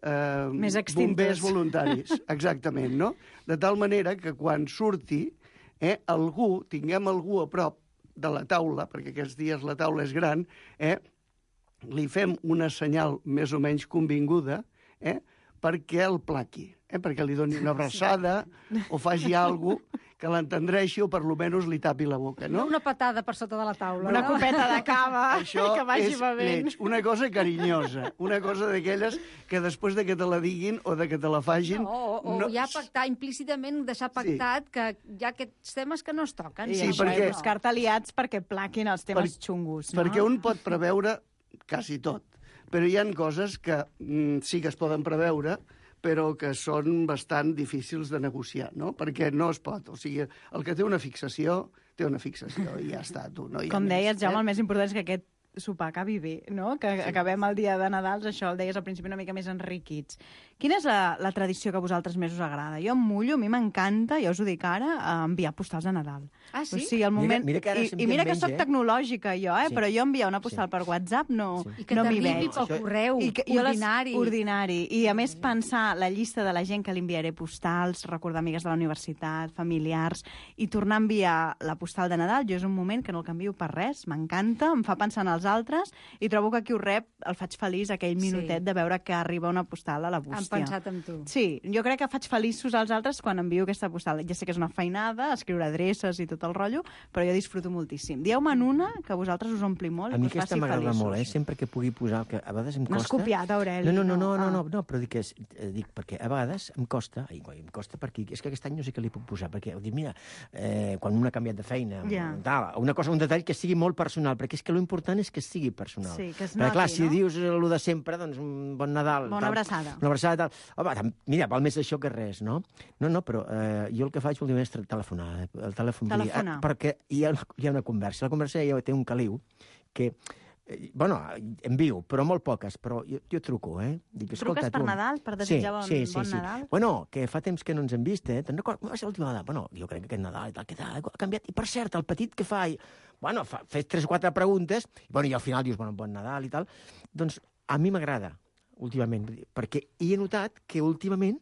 eh, Més extintes. bombers voluntaris, exactament, no? De tal manera que quan surti, eh, algú, tinguem algú a prop de la taula, perquè aquests dies la taula és gran, eh, li fem una senyal més o menys convinguda, eh, perquè el plaqui, eh, perquè li doni una abraçada o faci alguna cosa que l'entendreixi o per lo menys li tapi la boca, No no? una patada per sota de la taula. Una no? copeta de cava Això que vagi és bevent. lleig, una cosa carinyosa, una cosa d'aquelles que després de que te la diguin o de que te la fagin... No, o, o ja pactar, implícitament deixar pactat que hi ha aquests temes que no es toquen. I Sí, això, perquè- i buscar-te aliats perquè plaquin els temes Per- xungos, no? Perquè un pot preveure quasi tot, però hi han coses que mm, sí que es poden preveure, però que són bastant difícils de negociar, no? Perquè no es pot. O sigui, el que té una fixació, té una fixació i ja està, tu. No hi ha Com més, deies, Jaume, eh? el més important és que aquest sopar acabi bé, no? Que sí. acabem el dia de Nadal, això el deies al principi una mica més enriquits. Quina és la, la tradició que a vosaltres més us agrada? Jo em mullo, a mi m'encanta, ja us ho dic ara, enviar postals de Nadal. Ah, sí? O sigui, el moment... Mira, mira que ara I, I mira que menys, soc eh? tecnològica jo, eh? Sí. Però jo enviar una postal sí. per WhatsApp no, I que no m'hi t'arribi veig. pel correu, I que, ordinari. Les, ordinari. I a més pensar la llista de la gent que li enviaré postals, recordar amigues de la universitat, familiars, i tornar a enviar la postal de Nadal, jo és un moment que no el canvio per res, m'encanta, em fa pensar en els altres, i trobo que qui ho rep el faig feliç aquell minutet sí. de veure que arriba una postal a la bústia. Han pensat en tu. Sí, jo crec que faig feliços als altres quan envio aquesta postal. Ja sé que és una feinada, escriure adreces i tot el rotllo, però jo disfruto moltíssim. Dieu-me en una que a vosaltres us ompli molt a mi i us aquesta faci m'agrada feliços. molt, eh? Sempre que pugui posar... Que a vegades em costa... No has copiat, Aureli. No, no, no, no, no, no, ah. no, no però dic, que és, eh, dic perquè a vegades em costa, ai, em costa perquè és que aquest any no sé què li puc posar, perquè dic, mira, eh, quan un ha canviat de feina, ja. tal, una cosa, un detall que sigui molt personal, perquè és que l'important és que sigui personal. Sí, que es perquè, noti, clar, si no? dius el de sempre, doncs un bon Nadal... Bona tal, abraçada. Una abraçada, tal. Home, tam, mira, val més això que res, no? No, no, però eh, jo el que faig últimament és telefonar. El telèfon, Telefonar. Dir, eh, perquè hi ha, hi ha una conversa. La conversa ja té un caliu que... Eh, bueno, envio, però molt poques, però jo, jo truco, eh? Dic, Truques per tu... Nadal, per desitjar bon, sí, sí, bon sí. Nadal? Bueno, que fa temps que no ens hem vist, eh? Te'n recordes? Va ser l'última vegada. Bueno, jo crec que aquest Nadal i tal, que tal, ha canviat. I per cert, el petit que fa... I... Bueno, fa, fes tres o quatre preguntes, i, bueno, i al final dius, bueno, bon Nadal i tal. Doncs a mi m'agrada, últimament, perquè he notat que últimament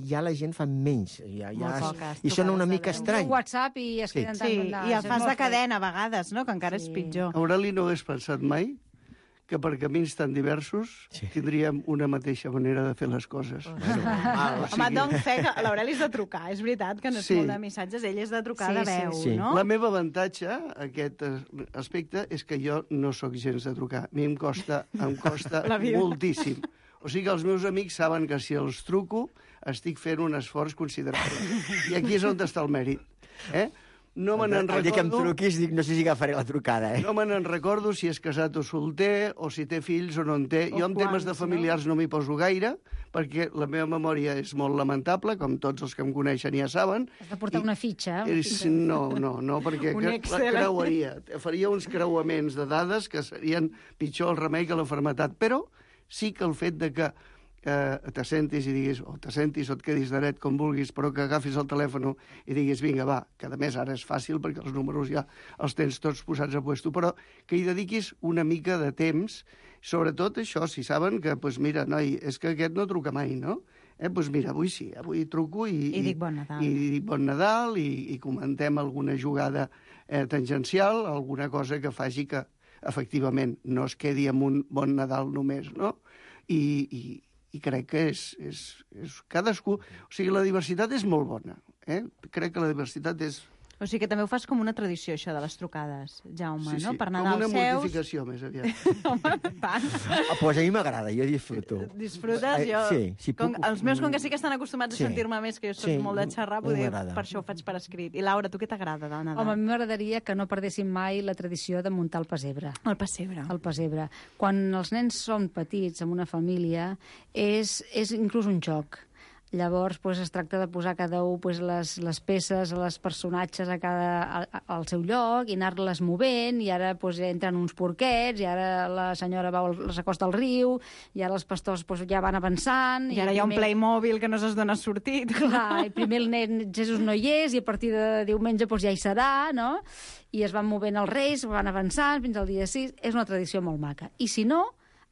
ja la gent fa menys. Ja, ja Molt es, poques. I sona una mica estrany. Un WhatsApp i es queden Sí, tant i el fas de cadena a vegades, no? Que encara Sí. és pitjor. Aureli no hagués pensat mai que per camins tan diversos Sí. tindríem una mateixa manera de fer les coses. Bueno, mal, Home, doncs fe que l'Aureli és de trucar, és veritat que no és Sí. molt de missatges, ell és de trucar Sí, de veu, sí, sí. no? La meva avantatge, aquest eh, aspecte, és que jo no sóc gens de trucar. A mi em costa, em costa La vida. moltíssim. O sigui que els meus amics saben que si els truco estic fent un esforç considerable. I aquí és on està el mèrit. Eh? No me n'en El dia que em recordo... truquis, dic, no sé si agafaré la trucada, eh? No me n'en recordo si és casat o solter, o si té fills o no en té. O Jo en temes quants, de familiars no, no m'hi poso gaire, perquè la meva memòria és molt lamentable, com tots els que em coneixen ja saben. Has de portar I una fitxa. Una És, fitxa. no, no, no, perquè Un cre- Excel. la creuaria. Faria uns creuaments de dades que serien pitjor el remei que la malaltia. Però sí que el fet de que eh, t'assentis i diguis, o t'assentis o et quedis dret com vulguis, però que agafis el telèfon i diguis, vinga, va, que a més ara és fàcil perquè els números ja els tens tots posats a puesto, però que hi dediquis una mica de temps, sobretot això, si saben que, doncs mira, noi, és que aquest no truca mai, no? Eh, doncs mira, avui sí, avui truco i... I dic bon Nadal. I, i dic bon Nadal i, i comentem alguna jugada eh, tangencial, alguna cosa que faci que, efectivament, no es quedi amb un bon Nadal només, no? I, i, i crec que és, és, és cadascú... O sigui, la diversitat és molt bona, eh? Crec que la diversitat és... O sigui que també ho fas com una tradició, això de les trucades, Jaume, Sí, no? sí, Per com Nadal una seus... mortificació, més aviat. Home, tant. Ah, pues a mi m'agrada, jo disfruto. Disfrutes, Eh, jo... sí, sí, com, puc- els meus, com que sí que estan acostumats Sí. a sentir-me més, que jo soc Sí, molt de xerrar, a mi poder, m'agrada. per això ho faig per escrit. I Laura, tu què t'agrada del Nadal? Home, a mi m'agradaria que no perdéssim mai la tradició de muntar el pessebre. El pessebre. El pessebre. Quan els nens són petits, en una família, és, és inclús un joc. Llavors, pues, es tracta de posar cada un pues, les, les peces, els personatges a cada, a, al seu lloc i anar-les movent, i ara pues, entren uns porquets, i ara la senyora va, s'acosta al riu, i ara els pastors pues, ja van avançant... I ara hi ha un Playmobil que no saps d'on ha sortit. Clar, i primer el nen Jesús no hi és, i a partir de diumenge pues, ja hi serà, no? I es van movent els reis, van avançant fins al dia sis. És una tradició molt maca. I si no,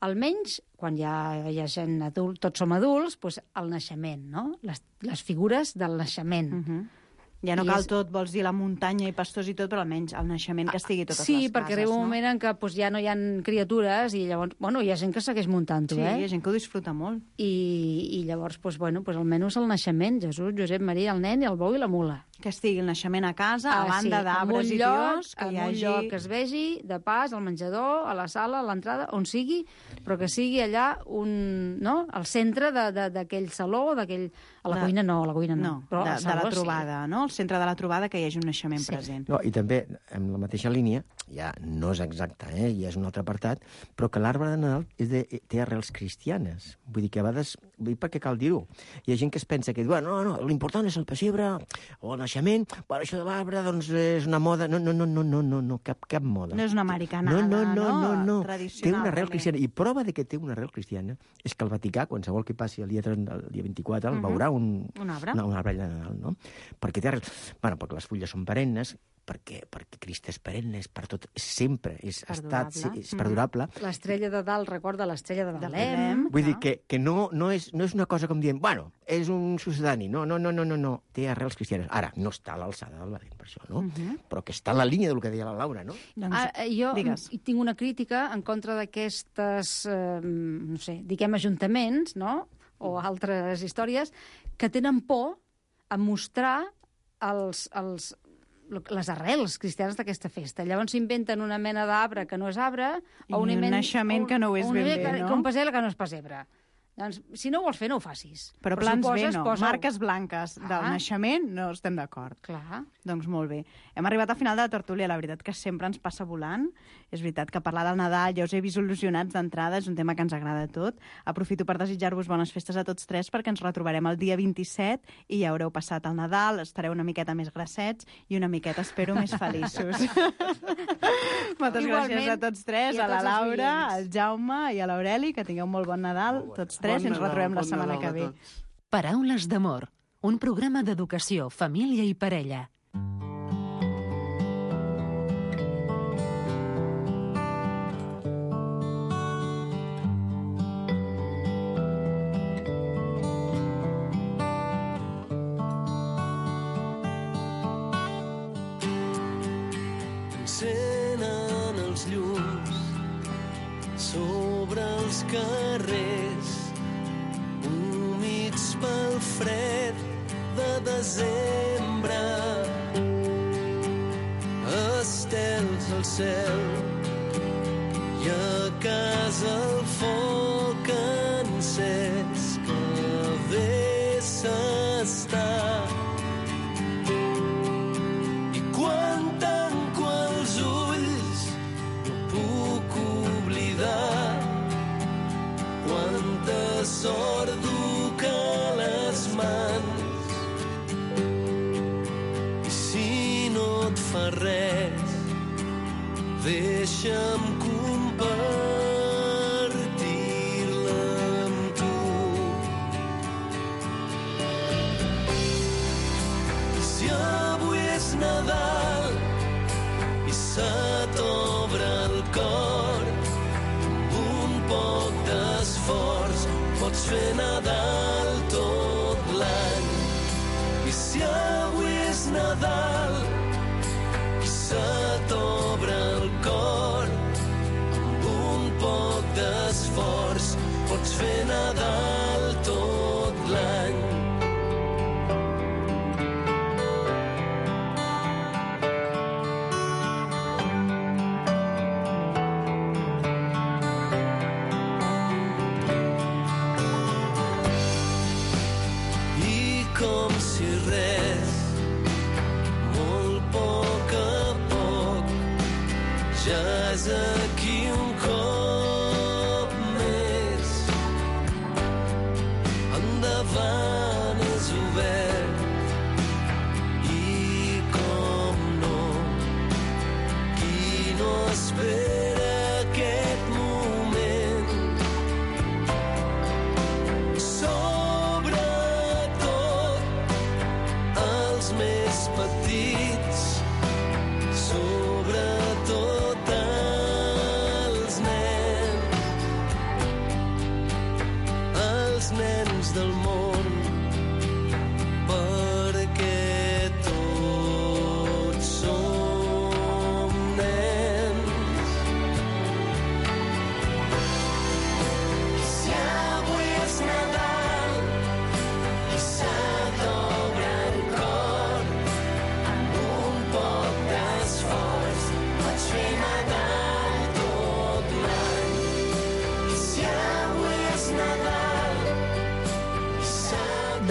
almenys, quan ja hi ha gent adult, tots som adults, doncs el naixement, no? Les, les figures del naixement. Uh -huh. Ja no I cal és- tot, vols dir la muntanya i pastors i tot, però almenys el naixement que estigui a totes Sí, les cases, perquè arriba un no? moment en què doncs, ja no hi ha criatures i llavors, bueno, hi ha gent que segueix muntant-ho, Sí, eh? hi ha gent que ho disfruta molt. I, i llavors, doncs, bueno, doncs, almenys el naixement, Jesús, Josep, Maria, el nen i el bou i la mula. Que estigui el naixement a casa, a Ah, banda sí, d'arbres en un i lloc, tios, que en hi un hagi... lloc que es vegi, de pas, al menjador, a la sala, a l'entrada, on sigui, però que sigui allà un, no? al centre de- de- d'aquell saló, d'aquell... A la De- cuina no, a la cuina no. No, però de, al de saló la sí. trobada, no? El al centre de la trobada, que hi hagi un naixement sí. present. No, I també, en la mateixa línia, ja no és exacte, eh, ja és un altre apartat, però que l'arbre de Nadal és de, té arrels cristianes. Vull dir que a vegades, vull dir per què cal dir-ho? Hi ha gent que es pensa que, bueno, no, no, l'important és el pessebre o el naixement, però això de l'arbre doncs, és una moda. No, no, no, no, no, no, no cap, cap moda. No és una americanada, no? No, no, no, no, no. Tradicional. Té una arrel també. cristiana. I prova de que té una arrel cristiana és que el Vaticà, qualsevol que passi el dia, el dia vint-i-quatre, el Uh-huh. veurà un, Un arbre. una, un arbre de Nadal, no? Perquè té arrel... Bueno, perquè les fulles són perennes, perquè, perquè Crist és perenne, és per tot, sempre, és, ha estat, sí, és perdurable. L'estrella de dalt recorda l'estrella de De Belém. Belém. Vull dir que, que no, no, és, no és una cosa com dient, bueno, és un sucedani. No, no, no, no, no, no. Té arrels cristianes. Ara, no està a l'alçada del Belém, per això, no? Uh-huh. Però que està en la línia del que deia la Laura, no? Doncs, Ah, jo digues. tinc una crítica en contra d'aquestes, eh, no sé, diguem ajuntaments, no?, o altres històries, que tenen por a mostrar els, els, les arrels cristianes d'aquesta festa. Llavors s'inventen una mena d'arbre que no és arbre, I o un, un invent, naixement que no ho és un ben invent bé, que, no? que un pessebre que no és pessebre. Doncs, si no ho vols fer, no ho facis. Però si plans ho B poses, no. posa-ho. Marques blanques del Ah. naixement no estem d'acord. Clar. Doncs molt bé. Hem arribat al final de la tertúlia, la veritat que sempre ens passa volant. És veritat que parlar del Nadal ja us he vist il·lusionats d'entrada, és un tema que ens agrada a tot. Aprofito per desitjar-vos bones festes a tots tres, perquè ens retrobarem el dia vint-i-set i ja haureu passat el Nadal, estareu una miqueta més grassets i una miqueta, espero, més feliços. Moltes Igualment, gràcies a tots tres, i a a la tots els Laura, oients. al Jaume i a l'Aureli, que tingueu molt bon Nadal, tots tres, i ens retrobem la setmana que ve. Paraules d'amor, un programa d'educació, família i parella. Encenen els llums sobre els carrers humits pel fred de desembre, estels al cel i a casa el foc encès que bé s'està. I quan tanco els ulls no puc oblidar quanta sort duc a les mans. I si no et fa res, deixa'm compartir-la amb tu. I si avui és Nadal i se t'obre el cor, amb un poc d'esforç pots fer Nadal tot l'any. I si avui és Nadal i se t'obre el cor, amb un poc d'esforç pots fer Nadal tot l'any. I com si res, molt poc a poc, ja és aquí un cop més. Endavant és obert i com no, qui no espera aquest moment. Sobretot els més petits, sobretot els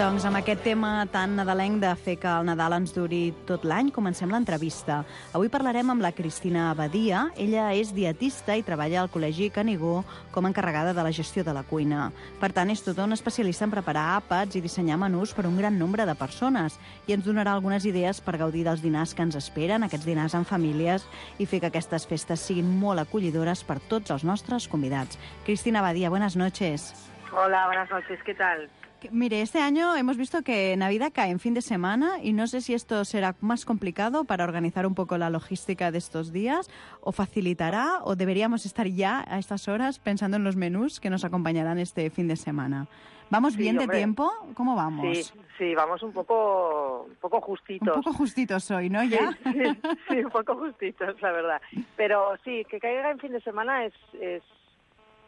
Doncs amb aquest tema tan nadalenc de fer que el Nadal ens duri tot l'any, comencem l'entrevista. Avui parlarem amb la Cristina Badia. Ella és dietista i treballa al Col·legi Canigó com a encarregada de la gestió de la cuina. Per tant, és tota una especialista en preparar àpats i dissenyar menús per un gran nombre de persones i ens donarà algunes idees per gaudir dels dinars que ens esperen, aquests dinars en famílies, i fer que aquestes festes siguin molt acollidores per tots els nostres convidats. Cristina Badia, buenas noches. Hola, buenas noches, ¿qué tal? Mire, este año hemos visto que Navidad cae en fin de semana y no sé si esto será más complicado para organizar un poco la logística de estos días o facilitará o deberíamos estar ya a estas horas pensando en los menús que nos acompañarán este fin de semana. ¿Vamos Sí, bien de hombre. tiempo? ¿Cómo vamos? Sí, sí, vamos un poco, un poco justitos. Un poco justitos hoy, ¿no? Sí, ¿Ya? sí, sí, un poco justitos, la verdad. Pero sí, que caiga en fin de semana es, es,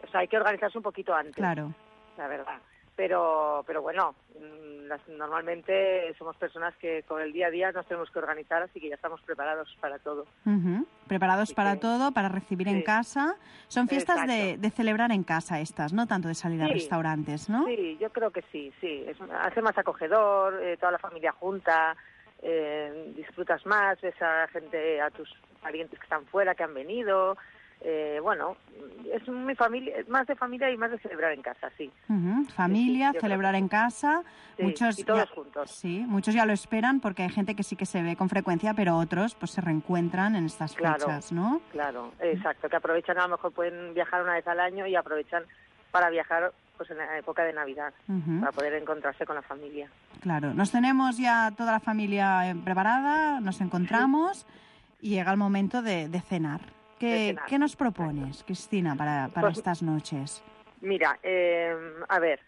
o sea, hay que organizarse un poquito antes. Claro. La verdad. Pero, pero bueno, mm, las- normalmente somos personas que con el día a día nos tenemos que organizar, así que ya estamos preparados para todo. Ujú. Preparados para todo, para recibir en Sí. casa. Son fiestas de, Exacto. de celebrar en casa estas, no tanto de salir a Sí. restaurantes, ¿no? Sí, yo creo que sí, sí. Es, hace más acogedor, eh, toda la familia junta, eh, disfrutas más, ves a gente, a tus parientes que están fuera, que han venido. Eh, bueno, es muy familia, más de familia y más de celebrar en casa, sí. Ujú. Familia, yo creo celebrar en casa. Sí, muchos y todos ya, juntos. Sí, muchos ya lo esperan porque hay gente que sí que se ve con frecuencia, pero otros pues se reencuentran en estas Claro, fechas, ¿no? claro, exacto, que aprovechan, a lo mejor pueden viajar una vez al año y aprovechan para viajar pues en la época de Navidad, Ujú. para poder encontrarse con la familia. Claro, nos tenemos ya toda la familia eh, preparada, nos encontramos y llega el momento de, de cenar. ¿Qué, De cenar, ¿qué nos propones, Cristina, para, para Pues- estas noches? Mira, eh, a ver,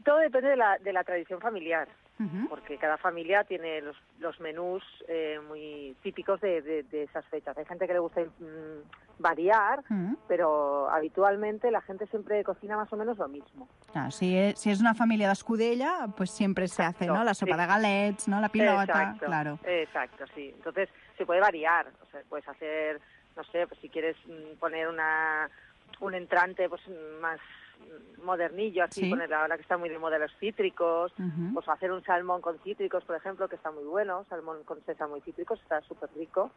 todo depende de la, de la tradición familiar, Ujú. porque cada familia tiene los, los menús eh, muy típicos de, de- de esas fechas. Hay gente que le gusta mm, variar, Ujú. pero habitualmente la gente siempre cocina más o menos lo mismo. Claro, si es, si es una familia de Escudella, pues siempre se hace, ¿no? La sopa sí. de galets, ¿no? La pilota, Exacto, claro. Exacto, sí. Entonces se puede variar, o sea, puedes hacer, no sé, pues si quieres mm, poner una un entrante pues más mm, modernillo, así, Sí. poner ahora que está muy de moda los cítricos, Ujú. pues hacer un salmón con cítricos, por ejemplo, que está muy bueno, salmón con sésamo y cítricos, está súper rico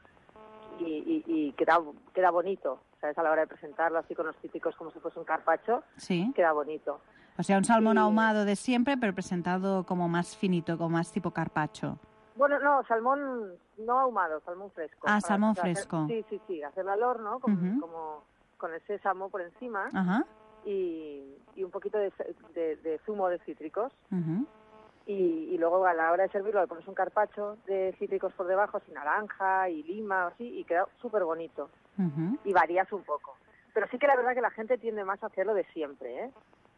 y, y, y queda, queda bonito, ¿sabes? A la hora de presentarlo así con los cítricos como si fuese un carpaccio, Sí. queda bonito. O sea, un salmón Y- ahumado de siempre, pero presentado como más finito, como más tipo carpaccio. Bueno, no, salmón no ahumado, salmón fresco. Ah, Para- salmón o sea, hacer- fresco. sí, sí, sí, hacerlo al horno, con, Ujú. como con el sésamo por encima Ajá. y, y un poquito de, de- de zumo de cítricos. Ujú. Y, y luego a la hora de servirlo le pones un carpaccio de cítricos por debajo, así naranja y lima o así, y queda súper bonito. Ujú. Y varías un poco. Pero sí que la verdad que la gente tiende más a hacerlo de siempre, ¿eh?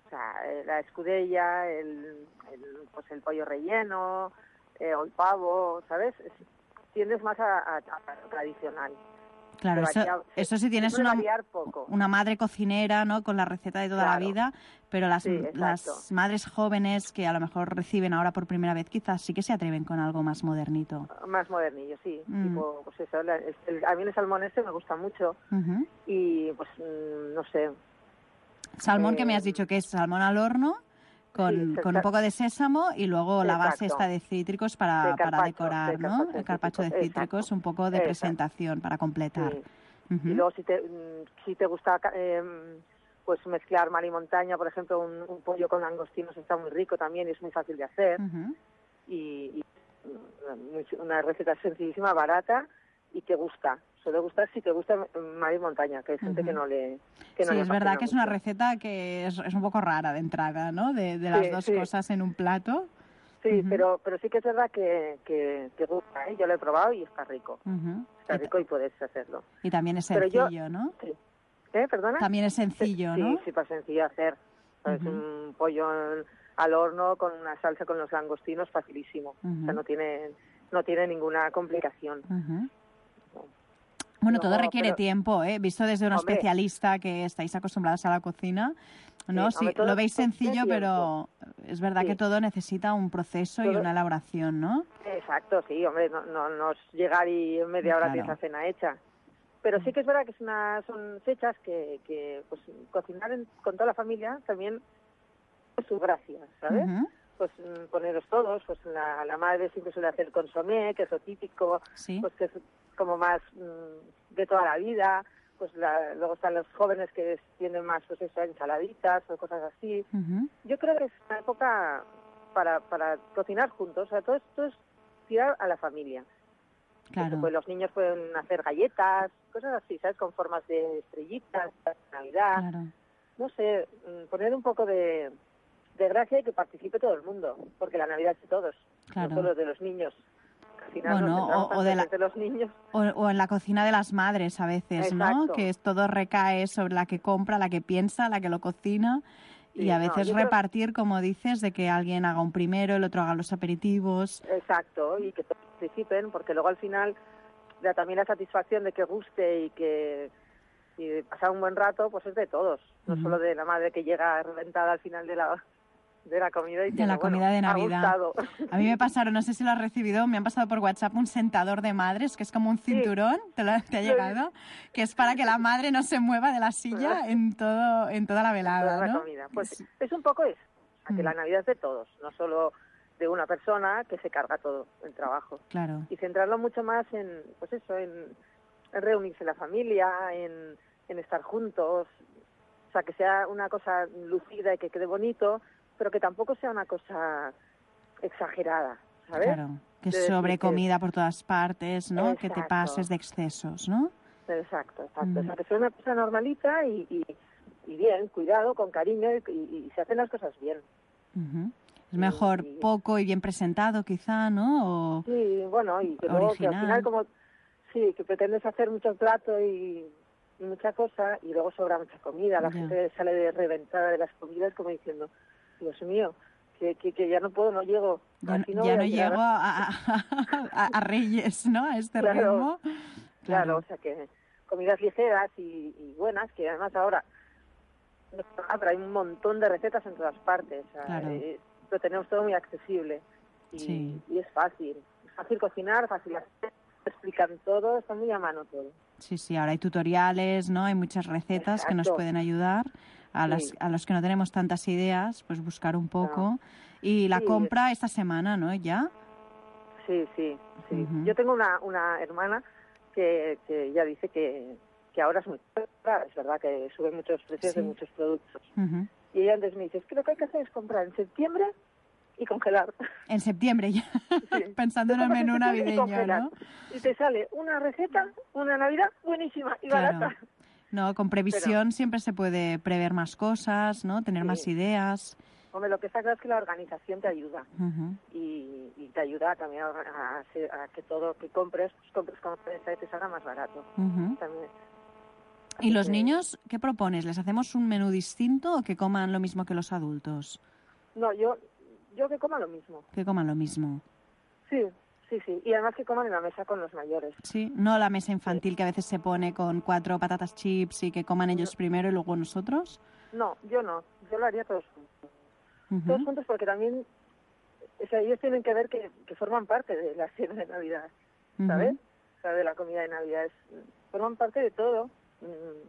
O sea, eh, la escudella, el, el, pues el pollo relleno, eh, o el pavo, ¿sabes? Es- tiendes más a, a- a lo tradicional. Claro, Se eso, varía- se- eso si tienes se puede una, variar poco. una madre cocinera, ¿no? Con la receta de toda la Claro. vida, pero las, Sí, exacto. las madres jóvenes que a lo mejor reciben ahora por primera vez, quizás sí que se atreven con algo más modernito. Más modernillo, sí. Mm. Tipo, pues eso, la- el- el- a mí el salmón este me gusta mucho Ujú. y pues mm, no sé. Salmón que me Eh, has dicho que es salmón al horno, con, Sí, con un sa- poco de sésamo y luego la base Exacto. esta de cítricos para, De para carpaccio, decorar, de ¿no? carpaccio de El carpaccio de cítricos, cítricos, exacto. un poco de Exacto. presentación para completar. Sí. Ujú. Y luego si te, mm, si te gusta eh, pues mezclar mar y montaña, por ejemplo, un, un pollo con langostinos está muy rico también y es muy fácil de hacer. Ujú. y, y, mm, muy- una receta sencillísima, barata y que gusta. Suele gustar si te gusta mar y montaña, que hay gente Ujú. que no le que no Sí, le es verdad fascina que es una mucho. receta que es, es un poco rara de entrada, ¿no? De, de las Sí, dos sí. cosas en un plato. Sí, Ujú. pero pero sí que es verdad que, que, que gusta, ¿eh? Yo lo he probado y está rico. Ujú. Está Y, ta- rico y puedes hacerlo. y también es Pero yo- sencillo, ¿no? Sí. ¿Eh? ¿Perdona? También es sencillo, Sí, ¿no? sí, para sencillo hacer. Es Ujú. un pollo en- al horno con una salsa con los langostinos, facilísimo. O sea, Ujú. no tiene, no tiene ninguna complicación. Ujú. Bueno, todo Luego, requiere pero- tiempo, ¿eh? Visto desde una Hombre. especialista que estáis acostumbrados a la cocina, ¿no? Sí, Sí, hombre, todo- lo veis todo tiene sencillo, tiempo. pero es verdad Sí. que todo necesita un proceso y Todo- una elaboración, ¿no? Exacto, sí, hombre, no, no, no es llegar y en media hora Claro. tienes la cena hecha. Pero sí que es verdad que es una, son fechas que, que pues, cocinar en- con toda la familia también es su gracia, ¿sabes? Ujú. O pues mm, poneros todos, pues la, la madre siempre suele hacer consomé, que es lo típico, Sí. pues que es como más mm, de toda la vida, pues la, luego están los jóvenes que es- tienen más, pues eso, ensaladitas o cosas así. Ujú. Yo creo que es una época para, para cocinar juntos, o sea, todo esto es tirar a la familia. Claro. Pues los niños pueden hacer galletas, cosas así, ¿sabes? Con formas de estrellitas, de Navidad. Claro. No sé, mm, poner un poco de, de gracia y que participe todo el mundo, porque la Navidad es de todos, Claro. no solo de los niños. Al final Bueno, nos centramos o- o tanto de en la- el de los niños. O, o en la cocina de las madres a veces, ¿no? Exacto. Que es, todo recae sobre la que compra, la que piensa, la que lo cocina. Y Sí, a no, veces yo creo- repartir, como dices, de que alguien haga un primero, el otro haga los aperitivos. Exacto, y que todos participen, porque luego al final da también la satisfacción de que guste y que y pasar un buen rato, pues es de todos, no Ujú. solo de la madre que llega reventada al final de la de la comida y De la comida de Navidad. Ha gustado. A mí me pasaron, no sé si lo has recibido, me han pasado por WhatsApp un sentador de madres, que es como un cinturón, ¿te, lo, te ha Lo he llegado? Que es para que la madre no se mueva de la silla en todo en toda la velada, Toda la ¿no? comida. Pues es un poco eso, o sea, que Mm. la Navidad es de todos, no solo de una persona que se carga todo el trabajo. Claro. Y centrarlo mucho más en, pues eso, en, en reunirse la familia, en, en estar juntos, o sea, que sea una cosa lucida y que quede bonito, pero que tampoco sea una cosa exagerada, ¿sabes? Claro, que De decir sobre que- comida por todas partes, ¿no? Que te Exacto. pases de excesos, ¿no? Exacto, exacto. Mm. O sea, que sea una cosa normalita y, y, y bien, cuidado, con cariño y, y- y se hacen las cosas bien. Ujú. Es mejor poco y bien presentado, quizá, ¿no? O Sí, bueno, y que luego que al original. final como, sí, que pretendes hacer mucho plato y, y mucha cosa y luego sobra mucha comida, la Ya. gente sale de reventada de las comidas como diciendo, Dios mío, que, que, que ya no puedo, no llego. ya, Así no ya voy no a llegar llego a, a- a- a Reyes, ¿no? A este Claro. ritmo. Claro, Claro. o sea que comidas ligeras y, y buenas, que además ahora ah, pero hay un montón de recetas en todas partes, o sea, Claro. eh, lo tenemos todo muy accesible y, Sí. y es fácil, es fácil cocinar, fácil hacer, te explican todo, está muy a mano todo. Sí, sí, ahora hay tutoriales, ¿no? Hay muchas recetas que nos Exacto. pueden ayudar. A, Sí. las, a los que no tenemos tantas ideas, pues buscar un poco. Y la Sí. compra esta semana, ¿no? ¿Ya? Sí, sí, sí. Ujú. Yo tengo una, una hermana que, que ya dice que, que ahora es muy cara, es verdad que suben muchos precios de Sí. muchos productos. Ujú. Y ella antes me dice, es que lo que hay que hacer es comprar en septiembre y congelar. En septiembre ya, pensando en el menú Y navideño, congelar. ¿no? Y te sale una receta, una Navidad buenísima y Claro. barata. No, con previsión siempre se puede prever más cosas, ¿no? Tener Sí. más ideas. Hombre, lo que está claro es que la organización te ayuda Ujú. y, y te ayuda también a, a hacer- a que todo que compres, pues compres con prensa y te salga más barato. Ujú. También. ¿Y los que- niños qué propones? ¿Les hacemos un menú distinto o que coman lo mismo que los adultos? No, yo, yo que coma lo mismo. Que coman lo mismo. Sí, sí, sí. Y además que coman en la mesa con los mayores. Sí, no la mesa infantil que a veces se pone con cuatro patatas chips y que coman ellos primero y luego nosotros. No, yo no. Yo lo haría todos juntos. Ujú. Todos juntos porque también, o sea, ellos tienen que ver que, que forman parte de la cena de Navidad, ¿sabes? Ujú. O sea, de la comida de Navidad. Es, forman parte de todo. Mm,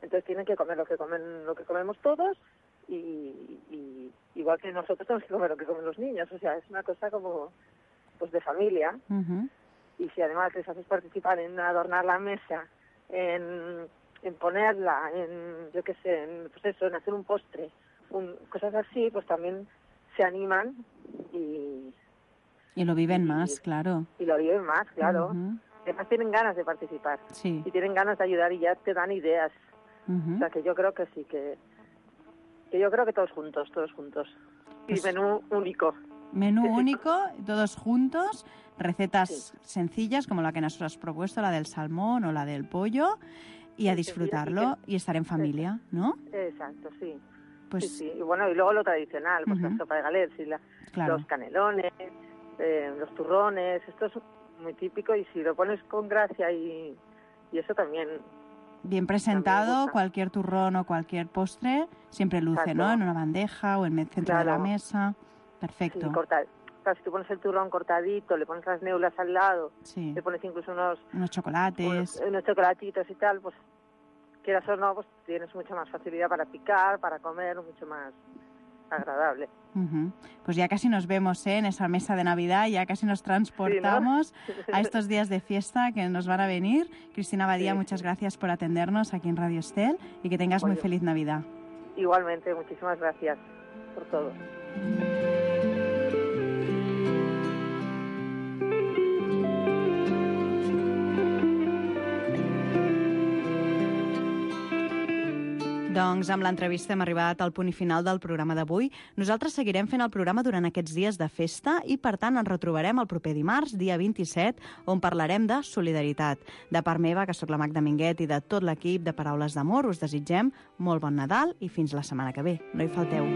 Entonces tienen que comer lo que comen, lo que comemos todos y, y igual que nosotros tenemos que comer lo que comen los niños. O sea, es una cosa como pues de familia. Ujú. Y si además les haces participar en adornar la mesa, en, en ponerla, en, yo qué sé, en, pues eso, en hacer un postre, un- cosas así, pues también se animan y, Y lo viven Y- más, claro. y lo viven más, claro. Ujú. Además tienen ganas de participar Sí. y tienen ganas de ayudar y ya te dan ideas. Ujú. O sea, que yo creo que sí, que, que yo creo que todos juntos, todos juntos. Y Pues- menú único. Menú único, todos juntos, recetas sencillas como la que nos has propuesto, la del salmón o la del pollo, y a disfrutarlo y estar en familia, ¿no? Exacto, sí. Pues Sí, sí. Y bueno, y luego lo tradicional, pues Ujú. la sopa de galets y la, Claro. los canelones, eh, los turrones, esto es muy típico y si lo pones con gracia y, y eso también, bien presentado, gusta. cualquier turrón o cualquier postre siempre luce, Exacto. ¿no? En una bandeja o en el centro de la Claro. mesa. sí, Perfecto. corta, claro, si tú pones el turrón cortadito, le pones las neulas al lado, Sí. le pones incluso unos, Unos chocolates. unos, unos chocolatitos y tal, pues quieras o no, pues tienes mucha más facilidad para picar, para comer, mucho más agradable. Uh-huh. Pues ya casi nos vemos, ¿eh? En esa mesa de Navidad, ya casi nos transportamos sí, ¿no? a estos días de fiesta que nos van a venir. Cristina Badía, sí, muchas sí. gracias por atendernos aquí en Radio Estel y que tengas Oye. muy feliz Navidad. Igualmente, muchísimas gracias por todo. Doncs amb l'entrevista hem arribat al punt i final del programa d'avui. Nosaltres seguirem fent el programa durant aquests dies de festa i, per tant, ens retrobarem el proper dimarts, dia vint-i-set, on parlarem de solidaritat. De part meva, que sóc la Magda Minguet, i de tot l'equip de Paraules d'Amor, us desitgem molt bon Nadal i fins la setmana que ve. No hi falteu.